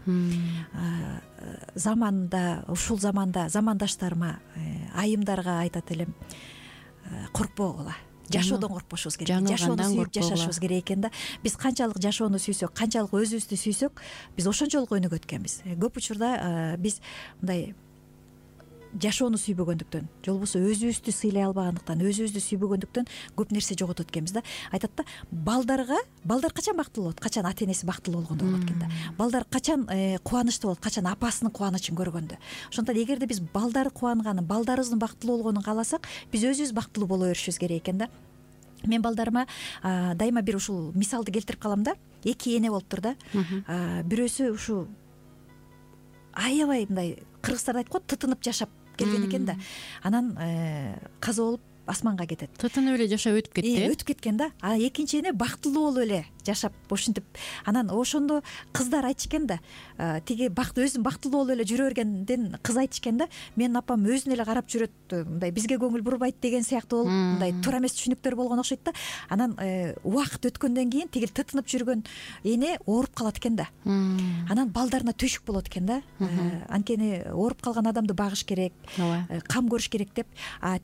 Ушул заманда замандаштарыма, айымдарга айтат элем, коркпогула. Жашоодон коркпошубуз керек. Жашоону сүйүп жашашыбыз керек экен да. Биз канчалык жашоону сүйсөк, канчалык өзүбүздү сүйсөк, биз ошончолук өнүгөт экенбиз. Көп учурда биз мындай жашоону сүйбөгөндүктөн, же болбосо өзүбүздү сыйлай албагандыктан, өзүбүздү сүйбөгөндүктөн көп нерсе жоготот экенбиз да. Айтат да, балдар качан бактылуу болот? Качан ата энеси бактылуу болгондо болот экен да. Балдар качан кубанычтуу болот? Качан апасынын кубанычын көргөндө. Ошондуктан эгерде биз балдар кубанганын, балдарыбыздын бактылуу болгонун кааласак, биз өзүбүз бактылуу боло беришибиз керек экен да. Мен балдарыма дайыма бир ушул мисалды келтирип калам да. Эки эне болуптур да. Бирөөсү ушу аябай мындай, кыргыздарда айткан тытынып жашап келген экен да. Анан каза болуп асманга кетет. Тытынып эле жашап өтүп кетти. Өтүп кеткен да. Экинчи эне бактылуу болуп эле жашап ушинтип. Анан ошондо кыздар айтышкен да, тиги өзүн бактылуу болуп эле жүрө бергенден кыз айтышкен да, менин апам өзүн эле карап жүрөт, мындай бизге көңүл бурбайт деген сыяктуу болуп, мындай туура эмес түшүнүктөр болгон окшойт да. Анан убакыт өткөндөн кийин тигил тытынып жүргөн эне ооруп калат экен да. Анан балдарына төшүк болот экен да. Анткени ооруп калган адамды багыш керек, кам көрүш керек деп,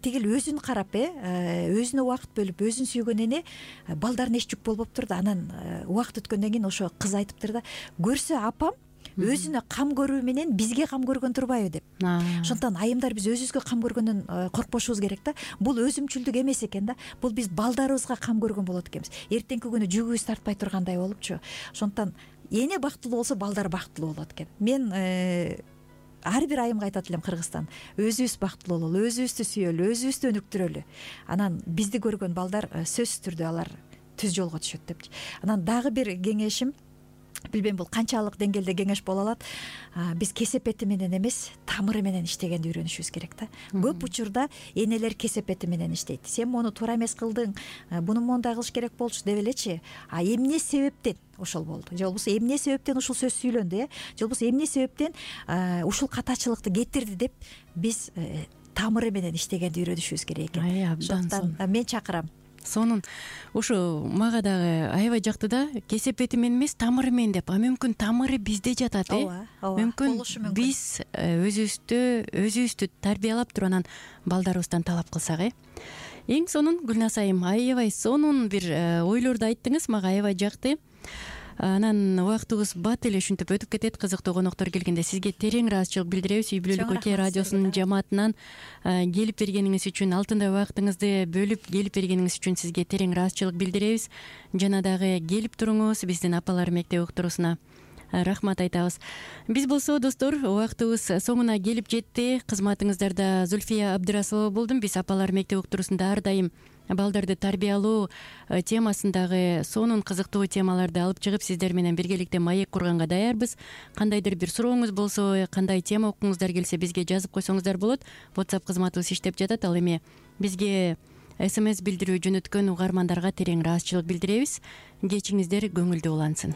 тигил өзүн карап өзүнө убакыт бөлүп өзүн сүйгөн эне балдарына эч жүк болбоптур да. Анан убакыт өткөндөн кийин ошо кыз айтыптыр да, көрсө апам өзүнө кам көрүү менен бизге кам көргөн турбайбы деп. Ошондуктан айымдар биз өзүбүзгө кам көргөндөн коркпошубуз керек да. Бул өзүмчүлдүк эмес экен да. Бул биз балдарыбызга кам көргөн болот экенбиз. Эртеңки күнү жүгүбүз тартпай тургандай болупчу. Ошондуктан эне бактылуу болсо балдар бактылуу болот экен. Мен ар бир айымга айтат элем Кыргызстан, өзүбүз бактылуу бололу, өзүбүздү сүйөлү, өзүбүздү өнүктүрөлү. Анан бизди көргөн балдар сөзсүз түрдө алар түз жолго түшөт депчи. Анан дагы бир кеңешим, билбейм бул канчалык деңгээлде кеңеш боло алат, биз кесепети менен эмес, тамыры менен иштегенди үйрөнүшүбүз керек да. Көп учурда энелер кесепети менен иштейт. Сен мону туура эмес кылдың, буну моундай кылыш керек болчу деп элечи. А эмне себептен ошол болду? Же болбосо эмне себептен ушул сөз сүйлөндү, же болбосо эмне себептен ушул катачылыкты кетирди деп биз тамыры менен иштегенди үйрөнүшүбүз керек экен. Ошондуктан мен чакырам. Сонун ушу мага дагы аябай жакты да, кесепети менен эмес, тамыры менен деп. А мүмкүн тамыры бизде жатат, мүмкүн биз өзүбүздү тарбиялап туруп анан балдарыбыздан талап кылсак, Эң сонун Гүлназ айым, аябай сонун бир ойлорду айттыңыз, мага аябай жакты. Анан убактыбыз бат эле ушинтип өтүп кетет. Кызыктуу коноктор келгенде сизге терең ыраазычылык билдиребиз. Үй бүлөлүк өлкө радиосунун жамаатынан келип бергениңиз үчүн, алтындай убактыңызды бөлүп келип бергениңиз үчүн сизге терең ыраазычылык билдиребиз. Жана дагы келип туруңуз биздин Апалар мектеби уктуруусуна. Рахмат айтабыз. Биз болсо достор, убактыбыз соңуна келип жетти. Кызматыңыздарда Зульфия Абдрасулова болдум. Биз Апалар мектеби уктуруусунда ар дайым балдарды тарбиялоо темасындагы сонун кызыктуу темаларды алып чыгып сиздер менен биргеликте маек курганга даярбыз. Кандайдыр бир сурооңуз болсо, кандай тема окуңуздар келсе бизге жазып койсоңуздар болот. WhatsApp кызматыбыз иштеп жатат. Ал эми бизге SMS билдирүү жөнөткөн угармандарга терең ыраазычылык билдиребиз. Кечиңиздер көңүлдүү улансын.